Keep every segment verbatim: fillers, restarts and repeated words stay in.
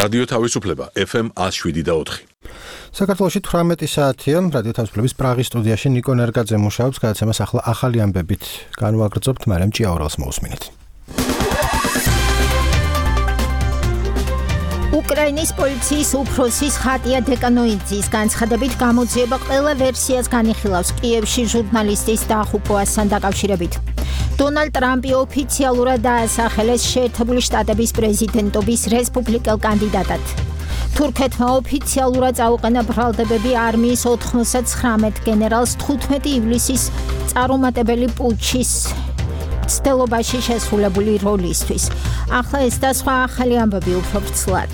რადიო თავისუფლება ეფ ემ ათს შვიდი და ოთხი. საქართველოში თვრამეტი საათია, რადიო თავისუფლების პრაღის სტუდიაში ნიკო ნერგაძე მუშაობს, გადაცემას ახლა ახალი ამბებით განვაგრძობთ, მაგრამ ჭიაურელს მოусმინეთ. უკრაინის პოლიციის უფროსის ხატია დეკანოიძის განცხადებით გამოძიება ყველა ვერსიას განიხილავს კიევში ჟურნალისტის დაღუპვასთან დაკავშირებით. დონალდ ტრამპი ოფიციალურად დაასახელეს შეერთებული შტატების პრეზიდენტობის რესპუბლიკელ კანდიდატად. თურქეთმა ოფიციალურად წაუყენა ბრალდებები არმიის ოთხმოცდათცხრამეტ გენერალს თხუთმეტი ივლისის წარუმატებელი პუჩის ცდილობაში შესრულებული როლისთვის. ახლა ეს და სხვა ახალი ამბები უფრო ვრცლად.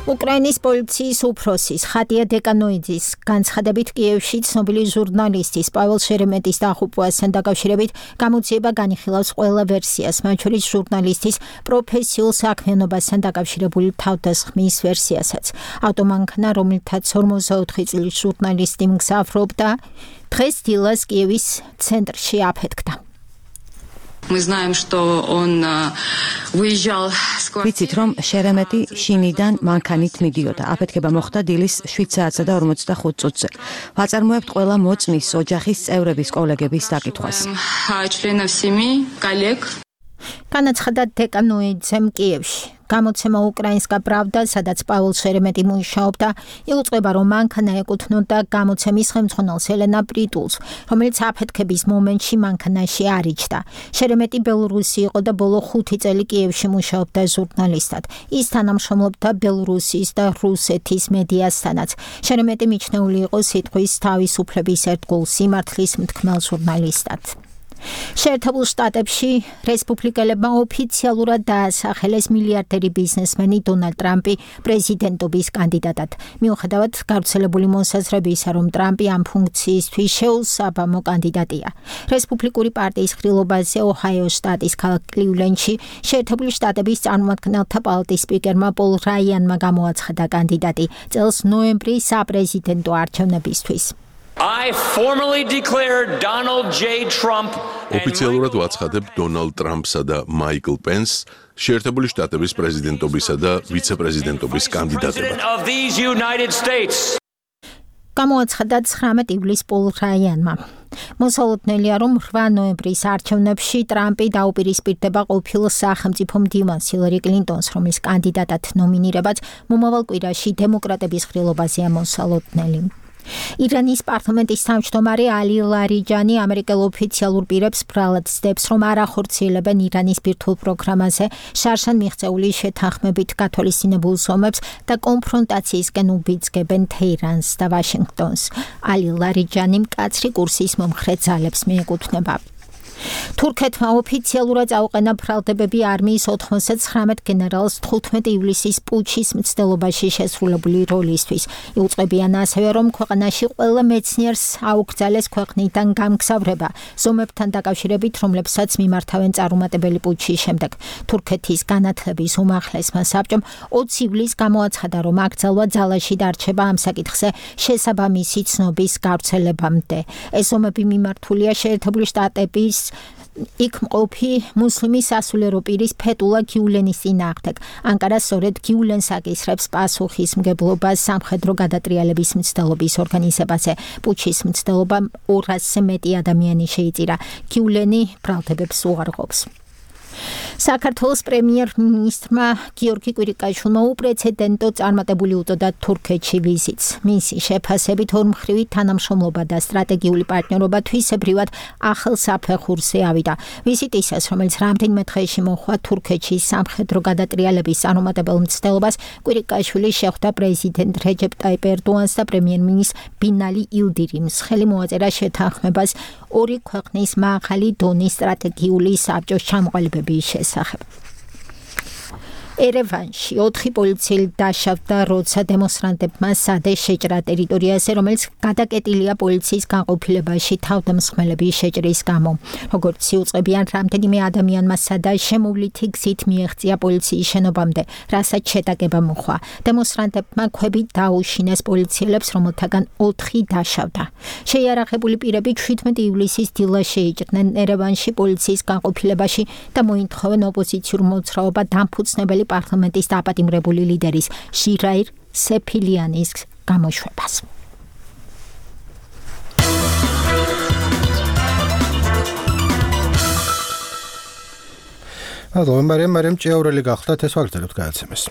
უკრაინის პოლიციის უფროსის ხატია დეკანოიძის განცხადებით კიევში ცნობილი ჟურნალისტის პაվել შერემეტის დაღუპვასთან დაკავშირებით გამოძიება განიხილავს ყველა ვერსიას, მათ შორის ჟურნალისტის პროფესიულ საქმიანობასთან დაკავშირებული თავდასხმის ვერსიასაც. ავტომანქანა, რომლითაც ორმოცდაოთხი წლის ჟურნალისტი მგზავრობდა, დღეს დილას კიევის ცენტრში აფეთქდა. Мы знаем, что он выезжал с квартиры. ვიცით, რომ შერემეტი შინიდან მანქანით მიდიოდა. აფეთქება მოხდა დილის შვიდ საათსა და ორმოცდახუთ წუთზე. ვაწარმოებთ ყველა მოწმის, ოჯახის წევრების, კოლეგების დაკითხვას. членов семьи, коллег. განაცხადა დეკანოიძემ კიევში. გამოცემა უკრაინსკა პრავდა, სადაც პაվել შერემეტი მუშაობდა, იუწყება, რომ მანქანა ეკუთვნოდა გამოცემის ხელმძღვანელს ელენა პრიტულს, რომელიც აფეთქების მომენტში მანქანაში არ იჯდა. შერემეტი ბელორუსი იყო და ბოლო ხუთი წელი კიევში მუშაობდა ჟურნალისტად. ის თანამშრომლობდა ბელორუსიის და რუსეთის მედიასთანაც. შერემეტი მიჩნეული იყო სიტყვის თავისუფლების ერთგულ სიმართლის მთქმელ ჟურნალისტად. შეერთებულ შტატებში რესპუბლიკელებმა ოფიციალურად დაასახელეს მილიარდერი ბიზნესმენი დონალდ ტრამპი პრეზიდენტობის კანდიდატად. მიუხედავად გავრცელებული მოსაზრებისა, რომ ტრამპი ამ ფუნქციისთვის შეუსაბამო კანდიდატია. რესპუბლიკური პარტიის ხრილობაზე ოჰაიოს შტატის ქალაქ კლივლენდში შეერთებული შტატების წარმომადგენელთა პალატის სპიკერმა პოლ რაიანმა გამოაცხადა კანდიდატი წელს ნოემბრის საპრეზიდენტო არჩევნებისთვის. I formally declare Donald J. Trump ოფიციალურად ვაცხადებ დონალდ ტრამპსა და მაიკლ პენსს შეერთებული შტატების პრეზიდენტობისა და ვიცე-პრეზიდენტობის კანდიდატებად. გამოაცხადა ცხრამეტ ივლისს პოლ რაიანმა. მოსალოდნელია, რომ რვა ნოემბრის არჩევნებში ტრამპი დაუპირისპირდება ყოფილ სახელმწიფო მდივანს ჰილარი კლინტონს, რომლის კანდიდატად ნომინირებაც მომავალ კვირაში დემოკრატების ხრილობაზეა მოსალოდნელი. ირანის პარლამენტის თავმჯდომარე ალი ლარიჯანი ამერიკელ ოფიციალურ პირებს ბრალად ცდებს, რომ არ ახორციელებენ ირანის ბირთვულ პროგრამაზე შარშან მიღწეული შეთანხმებით გათვალისწინებულ ზომებს და კონფრონტაციისკენ უბიძგებენ თეირანს და ვაშინგტონს. ალი ლარიჯანი მკაცრი კურსის მომხრე ძალებს მიეკუთვნება. თურქეთმა ოფიციალურად წაუყენა ბრალდებები არმიის ოთხმოცდათცხრამეტ გენერალს თხუთმეტი ივლისის პუჩის მცდელობაში შესრულებული როლისთვის. იუწყებიან ასევე, რომ ქვეყანაში ყველა მეცნიერს აუკრძალეს ქვეყნიდან გამგზავრება ზომებთან დაკავშირებით, რომლებსაც მიმართავენ წარუმატებელი პუჩის შემდეგ. თურქეთის განათლების უმაღლესმა საბჭომ ოცი ივლისს გამოაცხადა, რომ აკრძალვა ძალაში დარჩება ამ საკითხზე შესაბამისი ცნობის გავრცელებამდე. ეს ზომები მიმართულია შეერთებული შტატების იქ მყოფი მუსლიმი სასულიერო პირის ფეტულა გიულენის წინააღმდეგ. ანკარა სწორედ გიულენს აკისრებს პასუხისმგებლობას სამხედრო გადატრიალების მცდელობის ორგანიზებაზე. პუჩის მცდელობამ ორასზე მეტი ადამიანი შეიწირა. გიულენი ბრალდებებს უარყოფს. საქართველოს პრემიერ-მინისტრმა გიორგი კვირიკაშვილმა უპრეცედენტო წარმატებული უწოდა თურქეთში ვიზიტს. მისი შეფასებით ორმხრივი თანამშრომლობა და სტრატეგიული პარტნიორობა თვისებრივად ახალ საფეხურზე ავიდა. ვიზიტისას, რომელიც რამდენიმე დღეში მოჰყვა თურქეთში სამხედრო გადატრიალების წარუმატებელ მცდელობას, კვირიკაშვილი შეხვდა პრეზიდენტ რეჯეპ ტაიპ ერდოანს და პრემიერ-მინისტრ ბინალი ილდირიმს. ხელი მოაწერა შეთანხმებას ორი ქვეყნის მაღალი დონის სტრატეგიული საბჭოს ჩამოყალიბების შესახებ. ერევანში ოთხი პოლიციელი დაშავდა, როცა დემონსტრანტებმა სადე შეჭრა ტერიტორიაზე, რომელიც გადაკეტილია პოლიციის განყოფილებაში თავდამსხმელების შეჭრის გამო. როგორც იუწყებიან, რამდენიმე ადამიანმა სადა შემოვლითი გზით მიეღწია პოლიციის შენობამდე, რასაც შეტაკება მოხდა. დემონსტრანტებმა ქვებით დაუშინეს პოლიციელებს, რომელთაგან ოთხი დაშავდა. შეიარაღებული პირები შვიდმეტი ივლისის დილა შეიჭრნენ ერევანში პოლიციის განყოფილებაში და მოითხოვენ ოპოზიციურ მოძრაობა დამფუძნებელი პარლამენტის დაპატიმრებული ლიდერის ჟირაირ სეფილიანის გამოშვებას. ალბათ მარიამ მარიამ ჭიაურელი გახდათ ეს ვაგრძელებთ გადაცემას.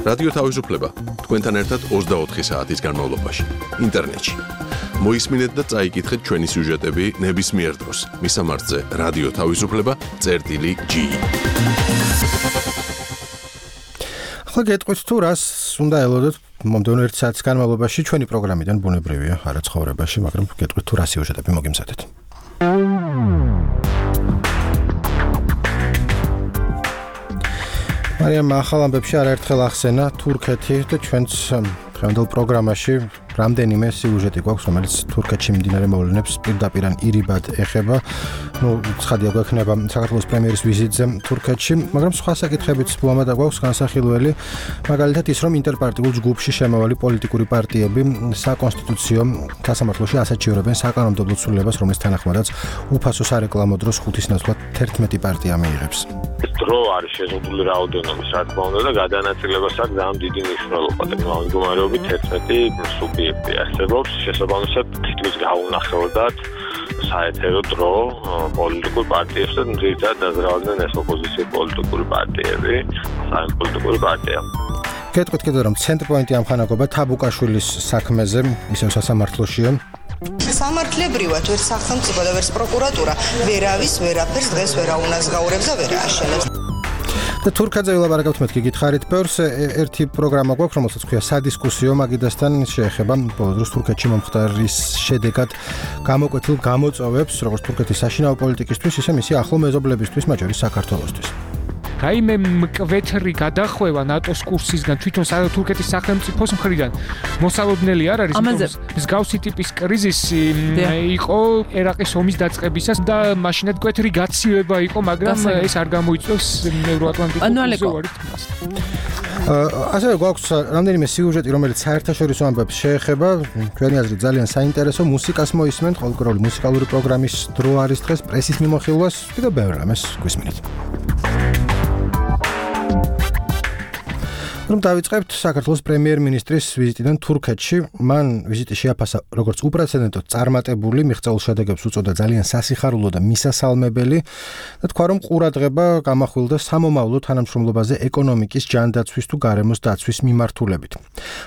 რადიო თავისუფლება თქვენთან ერთად ოცდაოთხი საათის განმავლობაში ინტერნეტში. მოისმინეთ და წაიკითხეთ ჩვენი სიუჟეტები ნებისმიერ დროს. მისამართზე რადიო თავისუფლება წერტილი ჯი. ახლა გეტყვით თუ რას უნდა ელოდოთ მომდევნო ერთ საათის განმავლობაში ჩვენი პროგრამიდან ბუნებრივია არა ცხოვრებაში, მაგრამ გეტყვით თუ რა სიუჟეტები მოგიმზადეთ. მარიამ ახალ ამბებში არაერთხელ ახსენა თურქეთი და ჩვენც დღევანდელ პროგრამაში რამდენიმე სიუჟეტი გვაქვს, რომელიც თურქეთში მიმდინარე მოვლენებს პირდაპირ ან ირიბად ეხება. ნუ ცხადია გვექნება საქართველოს პრემიერის ვიზიტზე თურქეთში, მაგრამ სხვა საკითხებიც ლამადა გვაქვს განსახილველი, მაგალითად ის, რომ ინტერპარტიულ ჯგუფში შემავალი პოლიტიკური პარტიები საკონსტიტუციო სასამართლოში ასაჩივრებენ საკანონმდებლო ცვლილებას, რომლის თანახმადაც უფასო სარეკლამო დროს ხუთის ნაცვლად თერთმეტი პარტია მიიღებს. დრო არის შეზღუდული რაოდენობის, რა თქმა უნდა, და გადანაწილებას აქვს ძალიან დიდი მნიშვნელობა და მდგომარეობით თერთმეტი სუბიექტი არსებობს, შესაბამისად თითქმის გაუნახავდათ საეთერო დრო პოლიტიკურ პარტიებს და ძირითადად დაზრალდნენ ეს ოპოზიციური პოლიტიკური პარტიები, საერთო პარტია. გეტყვით კიდევ რომ ცენტრპოინტი ამხანაგობა თაბუკაშვილის საქმეზე ისევ სასამართლოშია. სამართლებრივად ვერც სახელმწიფო და ვერც პროკურატურა ვერავის ვერაფერს დღეს ვერ აუნაზღაურებს და ვერ ააშენებს. და თურქეთზე ვილაპარაკებთ მეთქი გითხარით ბევრს ერთი პროგრამა გვაქვს, რომელსაც ქვია სადისკუსიო, მაგიდასთან შეეხება ბოლო დროს თურქეთში მომხდარის შედეგად გამოკვეთილ გამოწვევებს, როგორც თურქეთის საშინაო პოლიტიკისთვის, ისე მისი ახლო მეზობლებისთვის, მათ შორის საქართველოსთვის. რაიმე მკვეთრი გადახვევა ნატოს კურსისგან თვითონ თურქეთის სახელმწიფოს მხრიდან მოსალოდნელი არ არის, იმიტომ მსგავსი ტიპის კრიზისი იყო ერაყის ომის დაწყებისას და მაშინაც მკვეთრი გაცივება იყო, მაგრამ ეს არ გამოიწვევს ევროატლანტიკურ ზღვარით. ასევე გვაქვს რამდენიმე სიუჟეტი, რომელიც საერთაშორისო ამბებს შეეხება, ჩვენი აზრით ძალიან საინტერესო, მუსიკას მოისმენთ, ყოველკვირეული მუსიკალური პროგრამის დრო არის დღეს, პრესის მიმოხილვას, კიდევ ბევრ რამეს გვისმინეთ. რომ დავიწყებთ საქართველოს პრემიერ-მინისტრის ვიზიტიდან თურქეთში, მან ვიზიტი შეაფასა როგორც უპრეცედენტოდ წარმატებული, მიღწეულ შედეგებს უწოდა ძალიან სასიხარულო და მისასალმებელი და თქვა, რომ ყურადღება გამახვილდა სამომავლო თანამშრომლობაზე ეკონომიკის, ჯანდაცვის თუ გარემოს დაცვის მიმართულებით.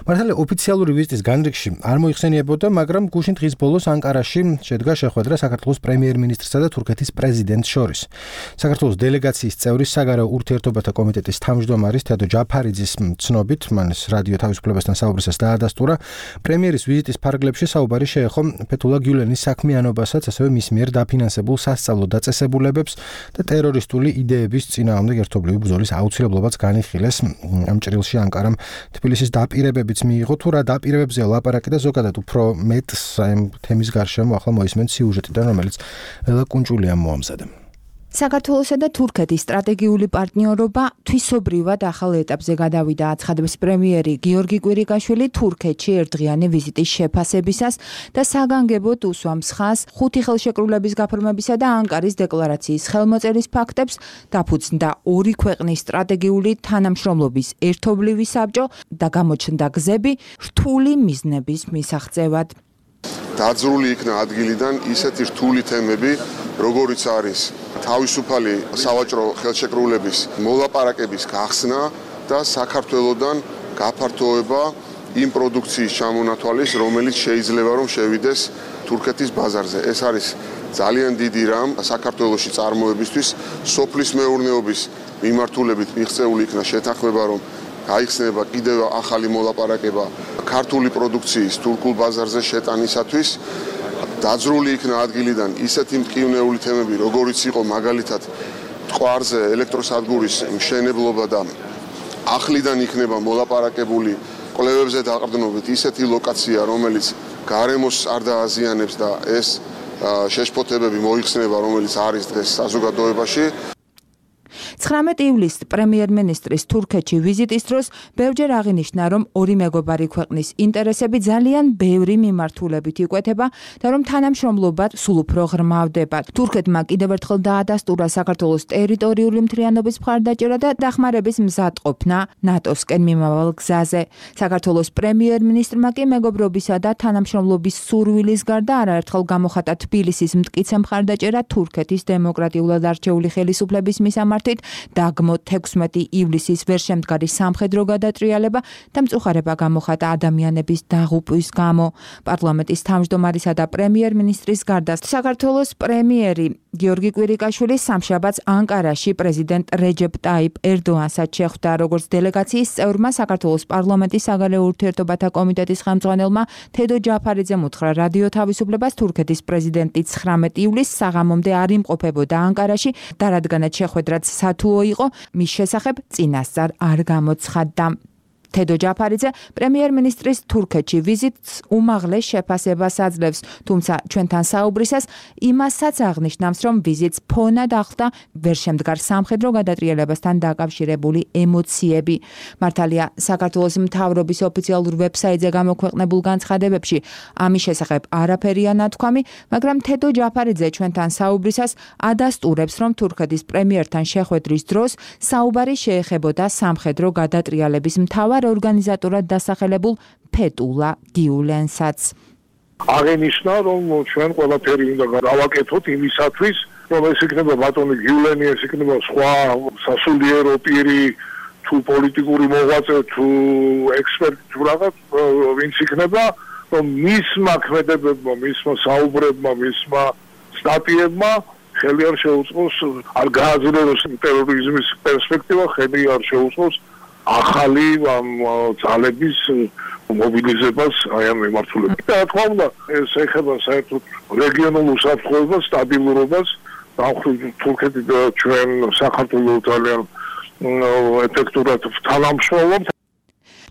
მართალია ოფიციალური ვიზიტის განრიგში არ მოიხსენიებოდა, მაგრამ გუშინ დღის ბოლოს ანკარაში შედგა შეხვედრა საქართველოს პრემიერ-მინისტრსა და თურქეთის პრეზიდენტს შორის. საქართველოს დელეგაციის წევრის საგარეო ურთიერთობათა კომიტეტის თავმჯდომარის თედო ჯაფარიძის ცნობით, მან რადიო თავისუფლებასთან საუბრისას დაადასტურა, პრემიერის ვიზიტის ფარგლებში საუბარი შეეხო ფეთულა გიულენის საქმიანობასაც, ასევე მის მიერ დაფინანსებულ სასწავლო დაწესებულებებს და ტერორისტული იდეების წინააღმდეგ ერთობლივი ბრძოლის აუცილებლობაც განიხილეს. ამ ჭრილში ანკარამ თბილისის დაპირებებიც მიიღო, თუ რა დაპირებებზე ლაპარაკი და ზოგადად უფრო მეტს ამ თემის გარშემო ახლა მოისმენთ სიუჟეტიდან, რომელიც ველა კუნჭულიამ მოამზადა. საქართველოსა და თურქეთის სტრატეგიული პარტნიორობა თვისობრივად ახალ ეტაპზე გადავიდა, აცხადებს პრემიერი გიორგი კვირიკაშვილი თურქეთში ერთდღიანი ვიზიტის შეფასებისას და საგანგებოდ უსვამს ხაზს ხუთი ხელშეკრულების გაფორმებისა და ანკარის დეკლარაციის ხელმოწერის ფაქტებს, დაფუძნდა ორი ქვეყნის სტრატეგიული თანამშრომლობის ერთობლივი საბჭო და გამოჩნდა გზები რთული მიზნების მისაღწევად. დაძრული იქნა ადგილიდან ისეთი რთული თემები, როგორიც არის თავისუფალი სავაჭრო ხელშეკრულების მოლაპარაკების გახსნა და საქართველოსთან გაფართოება იმ პროდუქციის ჩამონათვალის, რომელიც შეიძლება რომ შევიდეს თურქეთის ბაზარზე. ეს არის ძალიან დიდი რამ საქართველოში წარმოებისთვის, სოფლის მეურნეობის მიმართულებით მიღწეული იქნა შეთანხმება, რომ გაიხსნება კიდევ ახალი მოლაპარაკება ქართული პროდუქციის თურქულ ბაზარზე შეტანისათვის. დაძრული იქნა ადგილიდან ისეთი მტკივნეული თემები, როგორიც იყო მაგალითად მტკვარზე ელექტროსადგურის მშენებლობა და ახლიდან იქნება მოლაპარაკებული კვლევებზე დაყრდნობით ისეთი ლოკაცია, რომელიც გარემოს არ დააზიანებს და ეს შეშფოთებები მოიხსნება, რომელიც არის დღეს საზოგადოებაში. ცხრამეტი ივლისს პრემიერ-მინისტრის თურქეთში ვიზიტის დროს ბევრჯერ აღინიშნა, რომ ორი მეგობარი ქვეყნის ინტერესები ძალიან ბევრი მიმართულებით იკვეთება და რომ თანამშრომლობა სულ უფრო ღრმავდება. თურქეთმა კიდევ ერთხელ დაადასტურა საქართველოს ტერიტორიული მთლიანობის მხარდაჭერა და დახმარების მზადყოფნა ნატოსკენ მიმავალ გზაზე. საქართველოს პრემიერ-მინისტრმა კი მეგობრობისა და თანამშრომლობის სურვილის გარდა არაერთხელ გამოხატა თბილისის მტკიცე მხარდაჭერა თურქეთის დემოკრატიულად არჩეული ხელისუფლების მისამართით დაგმო თექვსმეტი ივლისის ვერშემდგარი სამხედრო გადატრიალება და მწუხარება გამოხატა ადამიანების დაღუპვის გამო. პარლამენტის თავმჯდომარისა და პრემიერ-მინისტრის გარდა საქართველოს პრემიერი გიორგი კვირიკაშვილი სამშაბათს ანკარაში პრეზიდენტ რეჯეპ ტაიპ ერდოანსაც შეხვდა. როგორც დელეგაციის წევრმა საქართველოს პარლამენტის საგარეო ურთიერთობათა კომიტეტის ხელმძღვანელმა თედო ჯაფარიძემ უთხრა რადიო თავისუფლებას თურქეთის პრეზიდენტი ცხრამეტი ივლისს საღამომდე არ იმყოფებოდა ანკარაში და რადგანაც შეხვედრაც სათუო იყო, მის შესახებ წინასწარ არ გამოცხადდა. თედო ჯაფარიძე პრემიერ-მინისტრის თურქეთში ვიზიტს უმაღლეს შეფასებას აძლევს, თუმცა ჩვენთან საუბრისას იმასაც აღნიშნავს, რომ ვიზიტს ფონად ახლდა ვერშემდგარ სამხედრო გადატრიალებასთან დაკავშირებული ემოციები. მართალია, საქართველოს მთავრობის ოფიციალურ ვებსაიტზე გამოქვეყნებულ განცხადებებში ამის შესახებ არაფერია ნათქვამი, მაგრამ თედო ჯაფარიძე ჩვენთან საუბრისას ადასტურებს, რომ თურქეთის პრემიერთან შეხვედრის დროს საუბარი შეეხებოდა სამხედრო გადატრიალების მთავარ ორგანიზატორად დასახელებულ ფეტულა გიულენსაც. აღინიშნა, რომ ჩვენ ყველაფერი უნდა გავაკეთოთ იმისათვის, რომ ეს იქნება ბატონი გიულენი, ეს იქნება სხვა სასულიერო პირი, თუ პოლიტიკური მოღვაწე, თუ ექსპერტი, თუ რაღაც, ვინც იქნება, რომ მისმა ქმედებებმა, მისმა საუბრებმა, მისმა სტატიებმა ხელი არ შეუწყოს, არ გააძლიეროს ტერორიზმის პერსპექტივა, ხელი არ შეუწყოს ახალი ძალების მობილიზებას აი ამ მიმართულებით. და რა თქმა უნდა, ეს ეხება საერთოდ რეგიონულ უსაფრთხოებას, სტაბილურობას, დამხრივ თურქეთი და ჩვენ საქართველო ძალიან ეფექტურად თანამშრომლობთ.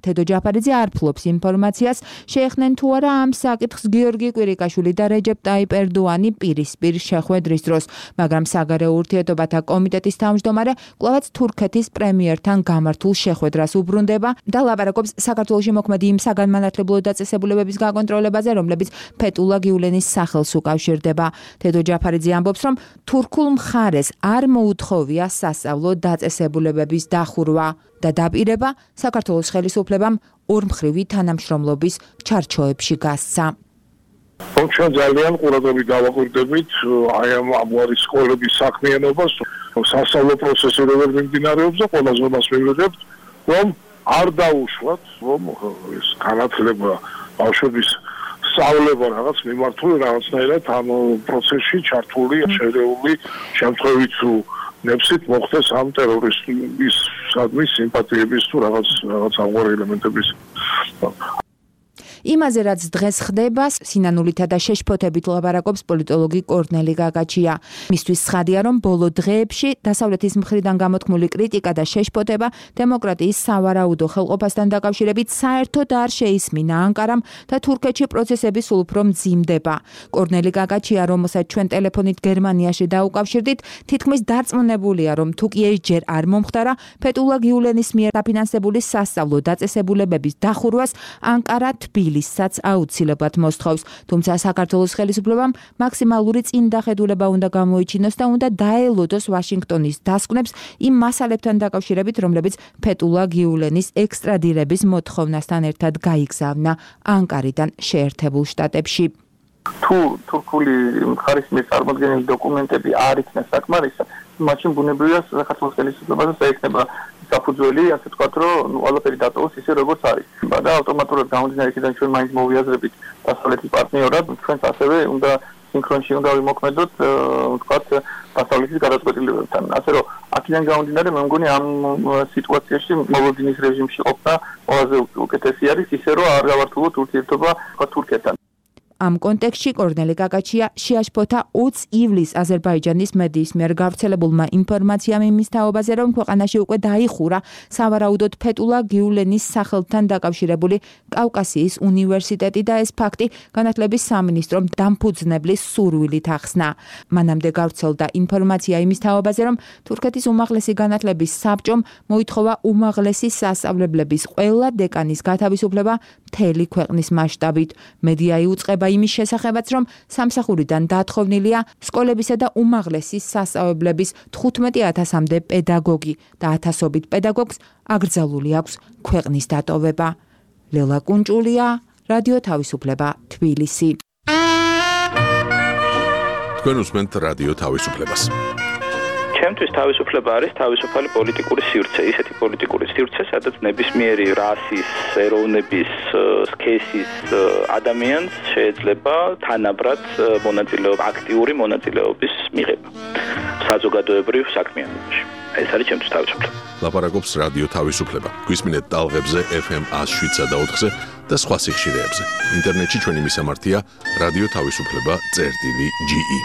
თედო ჯაფარიძე არ ფლობს ინფორმაციას, შეეხნენ თუ არა ამ საკითხს გიორგი კვირიკაშვილი და რეჯეპ ტაიპ ერდოანი პირისპირ შეხვედრის დროს, მაგრამ საგარეო ურთიერთობათა კომიტეტის თავმჯდომარე კვლავაც თურქეთის პრემიერთან გამართულ შეხვედრას უბრუნდება და ლაპარაკობს საქართველოში მოქმედი იმ საგანმანათლებლო დაწესებულებების გაკონტროლებაზე, რომლებიც ფეტულა გიულენის სახელს უკავშირდება. თედო ჯაფარიძე ამბობს, რომ თურქულ მხარეს არ მოუთხოვია სასწავლო დაწესებულებების დახურვა და დაპირება საქართველოს ხელისუფლებამ ორმხრივი თანამშრომლობის ჩარჩოებში გასცა. ჩვენ ძალიან ყურადღებით დავაკვირდებით აი ამ ამგვარი სკოლების საქმიანობას, სასწავლო პროცესი როგორ მიმდინარეობს და ყველაზე მას მივიღებთ, რომ არ დაუშვათ, რომ ეს განათლება ბავშვების სწავლება რაღაც მიმართული რაღაცნაირად ამ პროცესში ჩართული, შერეული შემთხვევით თუ ნებსით მოხდეს ამ ტერორისტის სადმის სიმპათიების თუ რაღაც რაღაც ამგვარი ელემენტების. იმაზე რაც დღეს ხდება, სინანულითა და შეშფოთებით ლაპარაკობს პოლიტოლოგი კორნელი გაგაჩია. მისთვის ცხადია, რომ ბოლო დღეებში დასავლეთის მხრიდან გამოთქმული კრიტიკა და შეშფოთება დემოკრატიის სავარაუდო ხელყოფასთან დაკავშირებით საერთოდ არ შეისმინა ანკარამ და თურქეთში პროცესები სულ უფრო მძიმდება. კორნელი გაგაჩია, რომელსაც ჩვენ ტელეფონით გერმანიაში დაუკავშირდით, თითქმის დარწმუნებულია, რომ თუ კი ერთჯერ არ მომხდარა ფეტულა გიულენის მიერ დაფინანსებული სასწავლო დაწესებულებების დახურვას, ანკარა თბილისს ისაც აუცილებლად მოსთხოვს, თუმცა საქართველოს ხელისუფლებამ მაქსიმალური წინდახედულება უნდა გამოიჩინოს და უნდა დაელოდოს ვაშინგტონის დასკვნებს იმ მასალებთან დაკავშირებით, რომლებიც ფეტულა გიულენის ექსტრადირების მოთხოვნასთან ერთად გაიგზავნა ანკარიდან შეერთებულ შტატებში. თუ თურქული მხარის მიერ წარმოქმნილი დოკუმენტები არ იქნა საკმარისად, მაშინ ბუნებრივია საქართველოს ხელისუფლებაზე შეექნება საფუძველი, ასე ვთქვათ, რომ ყველაფერი დატოვოს ისე როგორც არის. და ავტომატურად გამომდინარე იქიდან ჩვენ მაინც მოვიაზრებით დასავლეთის პარტნიორად, ჩვენც ასევე უნდა სინქრონში უნდა ვიმოქმედოთ, ვთქვათ, დასავლეთის გადაწყვეტილებებთან. ასე რომ აქედან გამომდინარე, მე მგონი ამ სიტუაციაში მოლოდინის რეჟიმში ყოფნა ყველაზე უკეთესი არის, ისე რომ არ გავართულოთ ურთიერთობა თურქეთთან. ამ კონტექსტში კორნელი კაკაჩია შეაშფოთა ოცი ივლისს აზერბაიჯანის მედიის მიერ გავრცელებულმა ინფორმაციამ იმის თაობაზე, რომ ქვეყანაში უკვე დაიხურა სავარაუდოდ ფეტულა გიულენის სახელთან დაკავშირებული კავკასიის უნივერსიტეტი და ეს ფაქტი განათლების სამინისტრომ დამფუძნებლის სურვილით ახსნა. მანამდე გავრცელდა ინფორმაცია იმის თაობაზე, რომ თურქეთის უმაღლესი განათლების საბჭომ მოითხოვა უმაღლესი სასწავლებლების ყველა დეკანის გათავისუფლება მთელი ქვეყნის მასშტაბით. მედია იუწყება იმის შესახებაც, რომ სამსახურიდან დათხოვნილია სკოლებისა და უმაღლესი სასწავლებლების თხუთმეტი ათასამდე პედაგოგი და ათასობით პედაგოგს აკრძალული აქვს ქვეყნის დატოვება. ლელა კუნჭულია, რადიო თავისუფლება, თბილისი. თქვენ უსმენთ რადიო თავისუფლებას. ჩემთვის თავისუფლება არის თავისუფალი პოლიტიკური სივრცე, ისეთი პოლიტიკური სივრცე, სადაც ნებისმიერი რასის, ეროვნების, სქესის ადამიანს შეიძლება თანაბრად მონაწილეობა, აქტიური მონაწილეობის მიღება საზოგადოებრივ საქმიანობაში. ეს არის ჩემთვის თავისუფლება. ლაპარაკობს რადიო თავისუფლება. გვისმინეთ ტალღებზე ეფ ემ one oh seven point eight-ზე და სხვა სიხშირეებზე. ინტერნეტში ჩვენი მისამართია რადიო თავისუფლება წერტილი ჯი ი.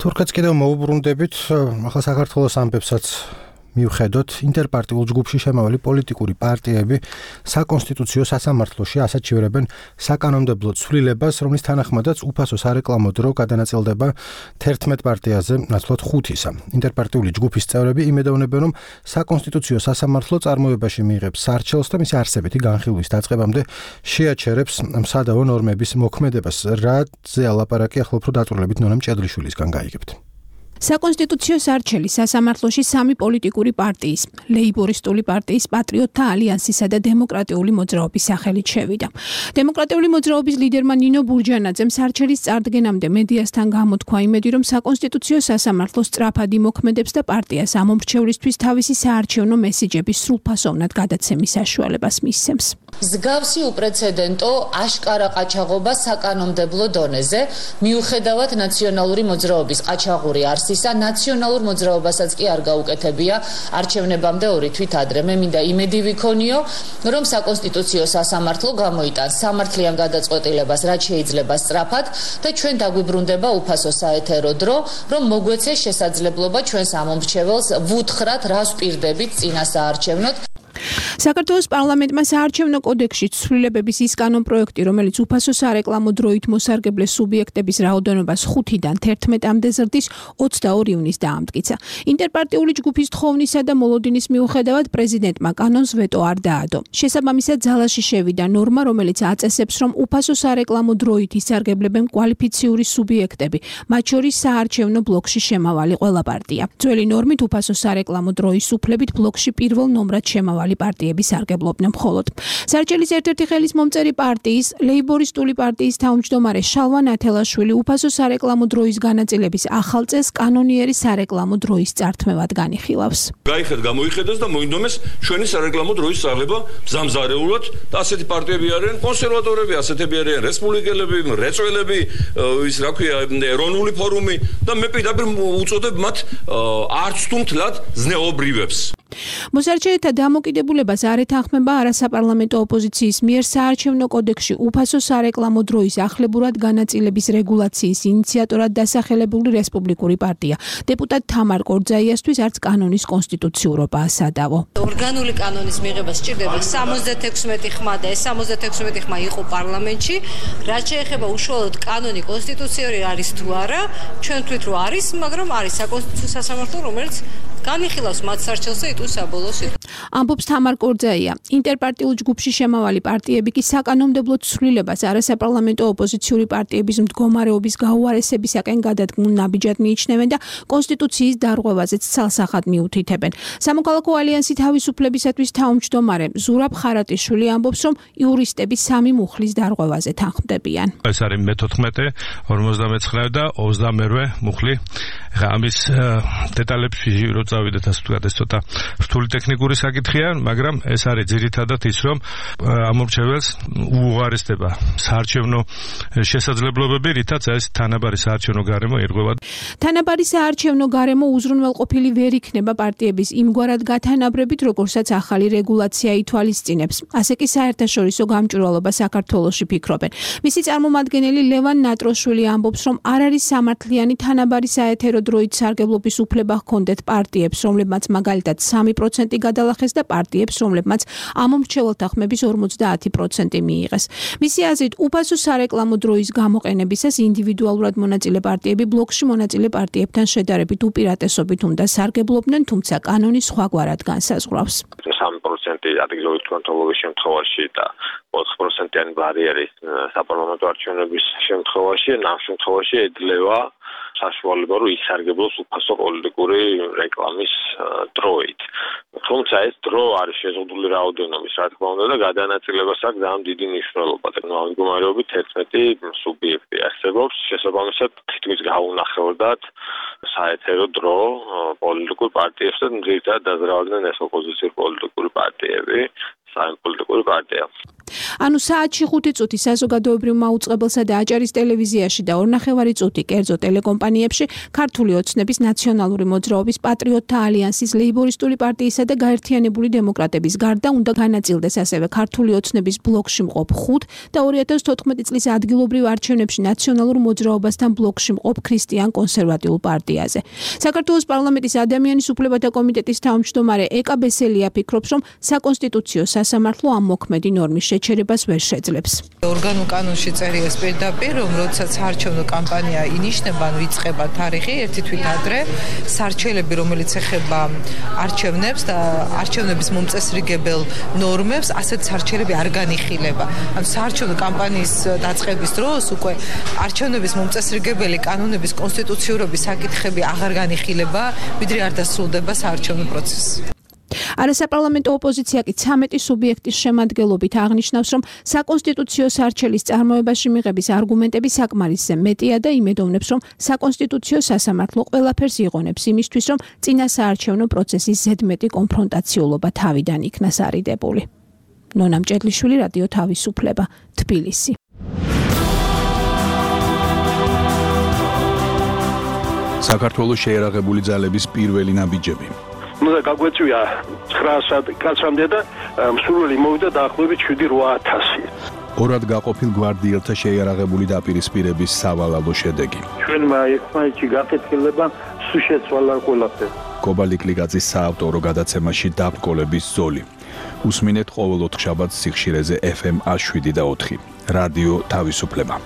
თურქეთს კიდევ მოუბრუნდებით, ახლა საქართველოს ამბებსაც მიუხედოთ, ინტერპარტიულ ჯგუფში შემავალი პოლიტიკური პარტიები საკონსტიტუციო სასამართლოში ასაჩივრებენ საკანონმდებლო ცვლილებას, რომლის თანახმადაც უფასო სარეკლამო დრო გადანაწილდება თერთმეტ პარტიაზე, ნაცვლად ხუთისა. ინტერპარტიული ჯგუფის წევრები იმედოვნებენ, რომ საკონსტიტუციო სასამართლო წარმოებაში მიიღებს სარჩელს და მისი არსებითი განხილვის დაწყებამდე შეაჩერებს სადავო ნორმების მოქმედებას. რაზე ალაპარაკი ახლა უფრო დაწვრილებით ნონა მჭედლიშვილისგან გაიგებთ. საკონსტიტუციო სარჩელი სასამართლოში სამი პოლიტიკური პარტიის, ლეიბორისტული პარტიის, პატრიოტთა ალიანსისა და დემოკრატიული მოძრაობის სახელით შევიდა. დემოკრატიული მოძრაობის ლიდერმა ნინო ბურჯანაძემ სარჩელის წარდგენამდე მედიასთან გამოთქვა იმედი, რომ საკონსტიტუციო სასამართლო სწრაფად იმოქმედებს და პარტიას ამომრჩევლისთვის თავისი საარჩევნო მესიჯების სრულფასოვნად გადაცემის საშუალებას მისცემს. მსგავსი უპრეცედენტო აშკარა ყაჩაღობა საკანონმდებლო დონეზე, მიუხედავად ნაციონალური მოძრაობის ყაჩაღური არსისა, ნაციონალურ მოძრაობასაც კი არ გაუკეთებია არჩევნებამდე ორი თვით ადრე. მე მინდა იმედი ვიქონიო, რომ საკონსტიტუციო სასამართლო გამოიტანს სამართლიან გადაწყვეტილებას, რაც შეიძლება სწრაფად და ჩვენ დაგვიბრუნდება უფასო საეთერო დრო, რომ მოგვეცეს შესაძლებლობა ჩვენს ამომრჩეველს ვუთხრათ, რას ვპირდებით წინა საარჩევნოდ. საქართველოს პარლამენტმა საარჩევნო კოდექსში ცვლილებების ის კანონპროექტი, რომელიც უფასო სარეკლამო დროით მოსარგებლე სუბიექტების რაოდენობას ხუთიდან თერთმეტამდე ზრდის, ოცდაორი ივნისს დაამტკიცა. ინტერპარტიული ჯგუფის თხოვნისა და მოლოდინის მიუხედავად პრეზიდენტმა კანონს ვეტო არ დაადო. შესაბამისად ძალაში შევიდა ნორმა, რომელიც აწესებს, რომ უფასო სარეკლამო დროით ისარგებლებენ კვალიფიციური სუბიექტები, მათ შორის საარჩევნო ბლოკში შემავალი ყველა პარტია. ძველი ნორმით უფასო სარეკლამო დროის უფლებით ბლოკში პირველ ნომრად შემავალი პარტიები სარგებლობდნენ მხოლოდ. სარჩელის ერთ-ერთი ხელისმომწერი პარტიის, ლეიბორისტული პარტიის თავმჯდომარე შალვა ნათელაშვილი უფასო სარეკლამო დროის განაწილების ახალ წესს კანონიერი სარეკლამო დროის წართმევად განიხილავს. გაიხედ გამოიხედეს და მოინდომეს ჩვენი სარეკლამო დროის წაღება მზამზარეულად და ასეთი პარტიები არიან კონსერვატორები, ასეთები არიან რესპუბლიკელები, რეწველები, ის რა ქვია, ეროვნული ფორუმი და მე პირდაპირ უწოდებ მათ არც თუ მთლად ზნეობრივებს. მოსარჩელთა დამოკიდებულებას არ ეთანხმება არასაპარლამენტო ოპოზიციის მიერ საარჩევნო კოდექსში უფასო სარეკლამო დროის ახლებურად განაწილების რეგულაციის ინიციატორად დასახელებული რესპუბლიკური პარტია. დეპუტატ თამარ კორძაიასთვის არც კანონის კონსტიტუციურობაა სადავო. ორგანული კანონის მიღება სჭირდება სამოცდათექვსმეტი ხმა და ეს სამოცდათექვსმეტი ხმა იყო პარლამენტში. რაც შეეხება უშუალოდ კანონი კონსტიტუციური არის თუ არა, ჩვენ თვით რომ არის, მაგრამ არის საკონსტიტუციო სასამართლო, რომელიც განიხილავს მათ სარჩელს და იტყვის საბოლოო სიტყვას. ამბობს თამარ კორძაია. ინტერპარტიულ ჯგუფში შემავალი პარტიები კი საკანონმდებლო ცვლილებას არასაპარლამენტო ოპოზიციური პარტიების მდგომარეობის გაუარესებისაკენ გადადგმულ ნაბიჯად მიიჩნევენ და კონსტიტუციის დარღვევაზეც ცალსახად მიუთითებენ. სამოქალაქო ალიანსი თავისუფლებისათვის თავმჯდომარე ზურაბ ხარატიშვილი ამბობს, რომ იურისტები სამი მუხლის დარღვევაზე თანხმდებიან. ეს არის მეთოთხმეტე, ორმოცდამეცხრე და ოცდამერვე მუხლი. ამის დეტალებში წავიდეთ, ასე ვთქვათ, ეს ცოტა რთული ტექნიკური საკითხია, მაგრამ ეს არის ძირითადად ის, რომ ამორჩეველს უუღარესდება საარჩევნო შესაძლებლობები, რითაც ეს თანაბარი საარჩევნო გარემო ერღვევა. თანაბარი საარჩევნო გარემო უზრუნველყოფილი ვერ იქნება პარტიების იმგვარად გათანაბრებით, როგორცაც ახალი რეგულაცია ითვალისწინებს. ასე კი საერთაშორისო გამჭვირვალობა საქართველოში ფიქრობენ. მისი წარმომადგენელი ლევან ნატროშვილი ამბობს, რომ არ არის სამართლიანი თანაბარი საეთერო დროით სარგებლობის უფლება ჰქონდეთ პარტიებს, რომლებმაც მაგალითად სამი პროცენტი გადალახეს და პარტიებს, რომლებმაც ამომრჩეველთა ხმების ორმოცდაათი პროცენტი მიიღეს. მისი აზრით, უფასო სარეკლამო დროის გამოყენებისას ინდივიდუალურად მონაწილე პარტიები ბლოკში მონაწილე პარტიებთან შედარებით უპირატესობით უნდა სარგებლობდნენ, თუმცა კანონი სხვაგვარად განსაზღვრავს. სამი პროცენტი ადგილობრივი თვითმმართველობის შემთხვევაში და ოთხ პროცენტიანი ბარიერი საპარლამენტო არჩევნების შემთხვევაში, ამ შემთხვევაში ეძლევა საშუალება, რომ ისარგებლოს უფასო პოლიტიკური რეკლამის დროით. თუმცა ეს დრო არის შეზღუდული რაოდენობის, რა თქმა უნდა, და გადანაწილებას აქვს ძალიან დიდი მნიშვნელობა. ამ მდგომარეობით ერთმეტი სუბიექტი არსებობს, შესაბამისად თითქმის გაუნახევრდათ საეთერო დრო პოლიტიკურ პარტიებს და ძირითადად დაზრავდნენ ეს ოპოზიციური პოლიტიკური პარტიები, საერთო პარტია. ანუ საათში ხუთი წუთი საზოგადოებრივ მაუწყებელსა და აჭარის ტელევიზიაში და ორნახევარი წუთი კერძო ტელეკომპანიებში ქართული ოცნების ნაციონალური მოძრაობის პატრიოტთა ალიანსის ლეიბორისტული პარტიისა და გაერთიანებული დემოკრატების გარდა უნდა განაწილდეს ასევე ქართული ოცნების ბლოკში მყოფ ხუთ და ორი ათას თოთხმეტი წლის ადგილობრივ არჩევნებში ნაციონალურ მოძრაობასთან ბლოკში მყოფ ქრისტიან კონსერვატიულ პარტიაზე. საქართველოს პარლამენტის ადამიანის უფლებათა კომიტეტის თავმჯდომარე ეკა ბესელია ფიქრობს, რომ საკონსტიტუციო სასამართლო ამ მოქმედი ნორმის შეჩერებას ვერ შეძლებს. ორგანულ კანონში წერია პირდაპირ, რომ როდესაც საარჩევნო კამპანია ინიშნება, ან ვიწყება თარიღი ერთი თვით ადრე, სარჩელები, რომელიც ეხება არჩევნებს და არჩევნების მომწესრიგებელ ნორმებს, ასეთ სარჩელები არ განიხილება. ანუ საარჩევნო კამპანიის დაწყების დროს უკვე არჩევნების მომწესრიგებელი კანონების კონსტიტუციურობის საკითხები აღარ განიხილება, ვიდრე არ დასრულდება საარჩევნო პროცესი. არასაპარლამენტო ოპოზიცია კი ცამეტი სუბიექტის შემადგენლობით აღნიშნავს, რომ საკონსტიტუციო სარჩელის წარმოებაში მიღების არგუმენტები საკმარისზე მეტია და იმედოვნებს, რომ საკონსტიტუციო სასამართლო ყველაფერს იღონებს იმისთვის, რომ წინა საარჩევნო პროცესის ზედმეტი კონფრონტაციულობა თავიდან იქნას არიდებული. ნონა მჭედლიშვილი, რადიო თავისუფლება, თბილისი. საქართველოს შეერაღებული ძალების პირველი ნაბიჯები. უნდა გაგვეწვია ცხრა კაცამდე და მსურველი მოვიდა დაახლოებით შვიდი რვა ათასი. ორად გაყოფილ გვარდიელთა შეიარაღებული დაპირისპირების სავალალო შედეგი. ჩვენმა ერთმანეთში გაკეთილება სულ შეცვალა ყველაფერი. კობალი კლიკაძის საავტორო გადაცემაში დაბრკოლების ზოლი. უსმინეთ ყოველ ოთხშაბათს სიხშირეზე ეფ ემ შვიდი და ოთხი. რადიო თავისუფლება.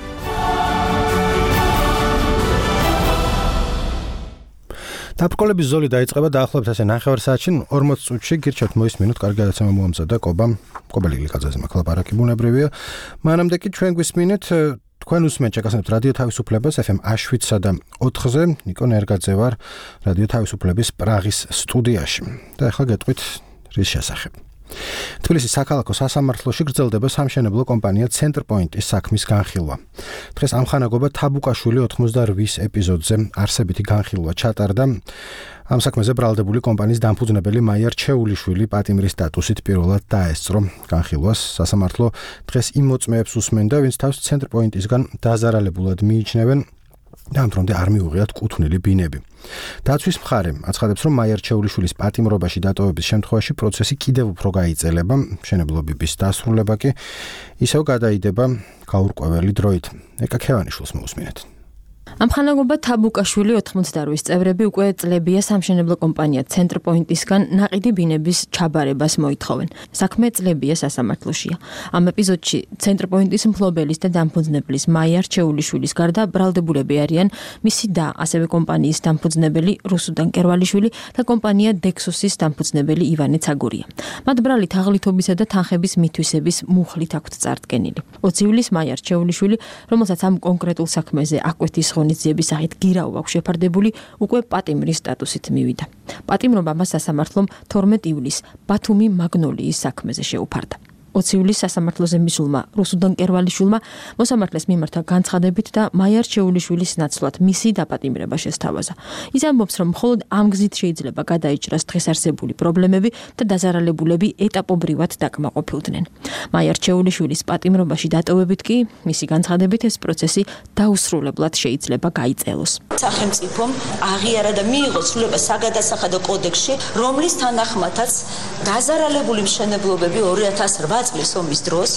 დაბრკოლების ზოლი დაიწყება დაახლოებით ასე ნახევარ საათში, ორმოც წუთში გირჩევთ მოისმინოთ, კარგი გადაცემა მოამზადა კობამ, კობალი კლიკაძეზე მახლაპარაკი ბუნებრივია. მანამდე კი ჩვენ გვისმინეთ, თქვენ უსმენთ ჩაკასებთ რადიო თავისუფლებას ეფ ემ შვიდსა და ოთხზე, ნიკო ნერგაძე ვარ რადიო თავისუფლების პრაღის სტუდიაში. და ახლა გეტყვით რის შესახებ. თბილისის საქალაქო სასამართლოში გრძელდება სამშენებლო კომპანია ცენტრპოინტის საქმის განხილვა. დღეს ამხანაგობა თაბუკაშვილი ოთხმოცდაორ ეპიზოდზე არსებითი განხილვა ჩატარდა. ამ საქმეზე ბრალდებული კომპანიის დამფუძნებელი მაია რჩეულიშვილი პატიმრის სტატუსით პირველად დაესწრო განხილვას. სასამართლო დღეს იმ მოწმეებს უსმენდა, ვინც თავს ცენტრპოინტისგან დაზარალებულად მიიჩნევენ და ამ დრომდე არ მიუღიათ კუთვნილი ბინები. დაცვის მხარე აცხადებს, რომ მაია რჩეულიშვილის პატიმრობაში დატოვების შემთხვევაში პროცესი კიდევ უფრო გაიწელება, მშენებლობების დასრულება კი ისევ გადაიდება გაურკვეველი დროით. ეკა ქევანიშვილს მოусმინეთ. ამხანაგობა თაბუკაშვილი ოთხმოცდაორ წევრები უკვე წლებია სამშენებლო კომპანია ცენტრპოინტისგან ნაყიდი ბინების ჩაბარებას მოითხოვენ. საქმე წლებია სასამართლოშია. ამ ეპიზოდში ცენტრპოინტის მფლობელის და დამფუძნებლის მაია რჩეულიშვილის გარდა ბრალდებულები არიან მისი და ასევე კომპანიის დამფუძნებელი რუსუდან კერვალიშვილი და კომპანია დექსოსის დამფუძნებელი ივანე ცაგურია. მათ ბრალი თაღლითობისა და თანხების მითვისების მუხლით აქვთ წარდგენილი. ოცი ივლისს მაია რჩეულიშვილი, რომელსაც ამ კონკრეტულ საქმეზე აკვეთის ღონისძიების სახით გირავა აქვს შეფარდებული, უკვე პატიმრის სტატუსით მივიდა. პატიმრობა მას სასამართლომ თორმეტი ივლისს ბათუმი მაგნოლიის საქმეზე შეუფარდა. ოცი ივლისს სასამართლოზე მისულმა რუსუდან კერვალიშვილმა მოსამართლეს მიმართა განცხადებით და მაია რჩეულიშვილის ნაცვლად მისი დაპატიმრება შესთავაზა. ის ამბობს, რომ მხოლოდ ამ გზით შეიძლება გადაიჭრას დღეს არსებული პრობლემები და დაზარალებულები ეტაპობრივად დაკმაყოფილდნენ. მაია რჩეულიშვილის პატიმრობაში დატოვებით კი მისი განცხადებით ეს პროცესი დაუსრულებლად შეიძლება გაიწელოს. სახელმწიფომ აღიარა და მიიღო ცვლილება საგადასახადო კოდექსში, რომლის თანახმადაც დაზარალებული მშენებლობები ორი ათას რვა წლის ომის დროს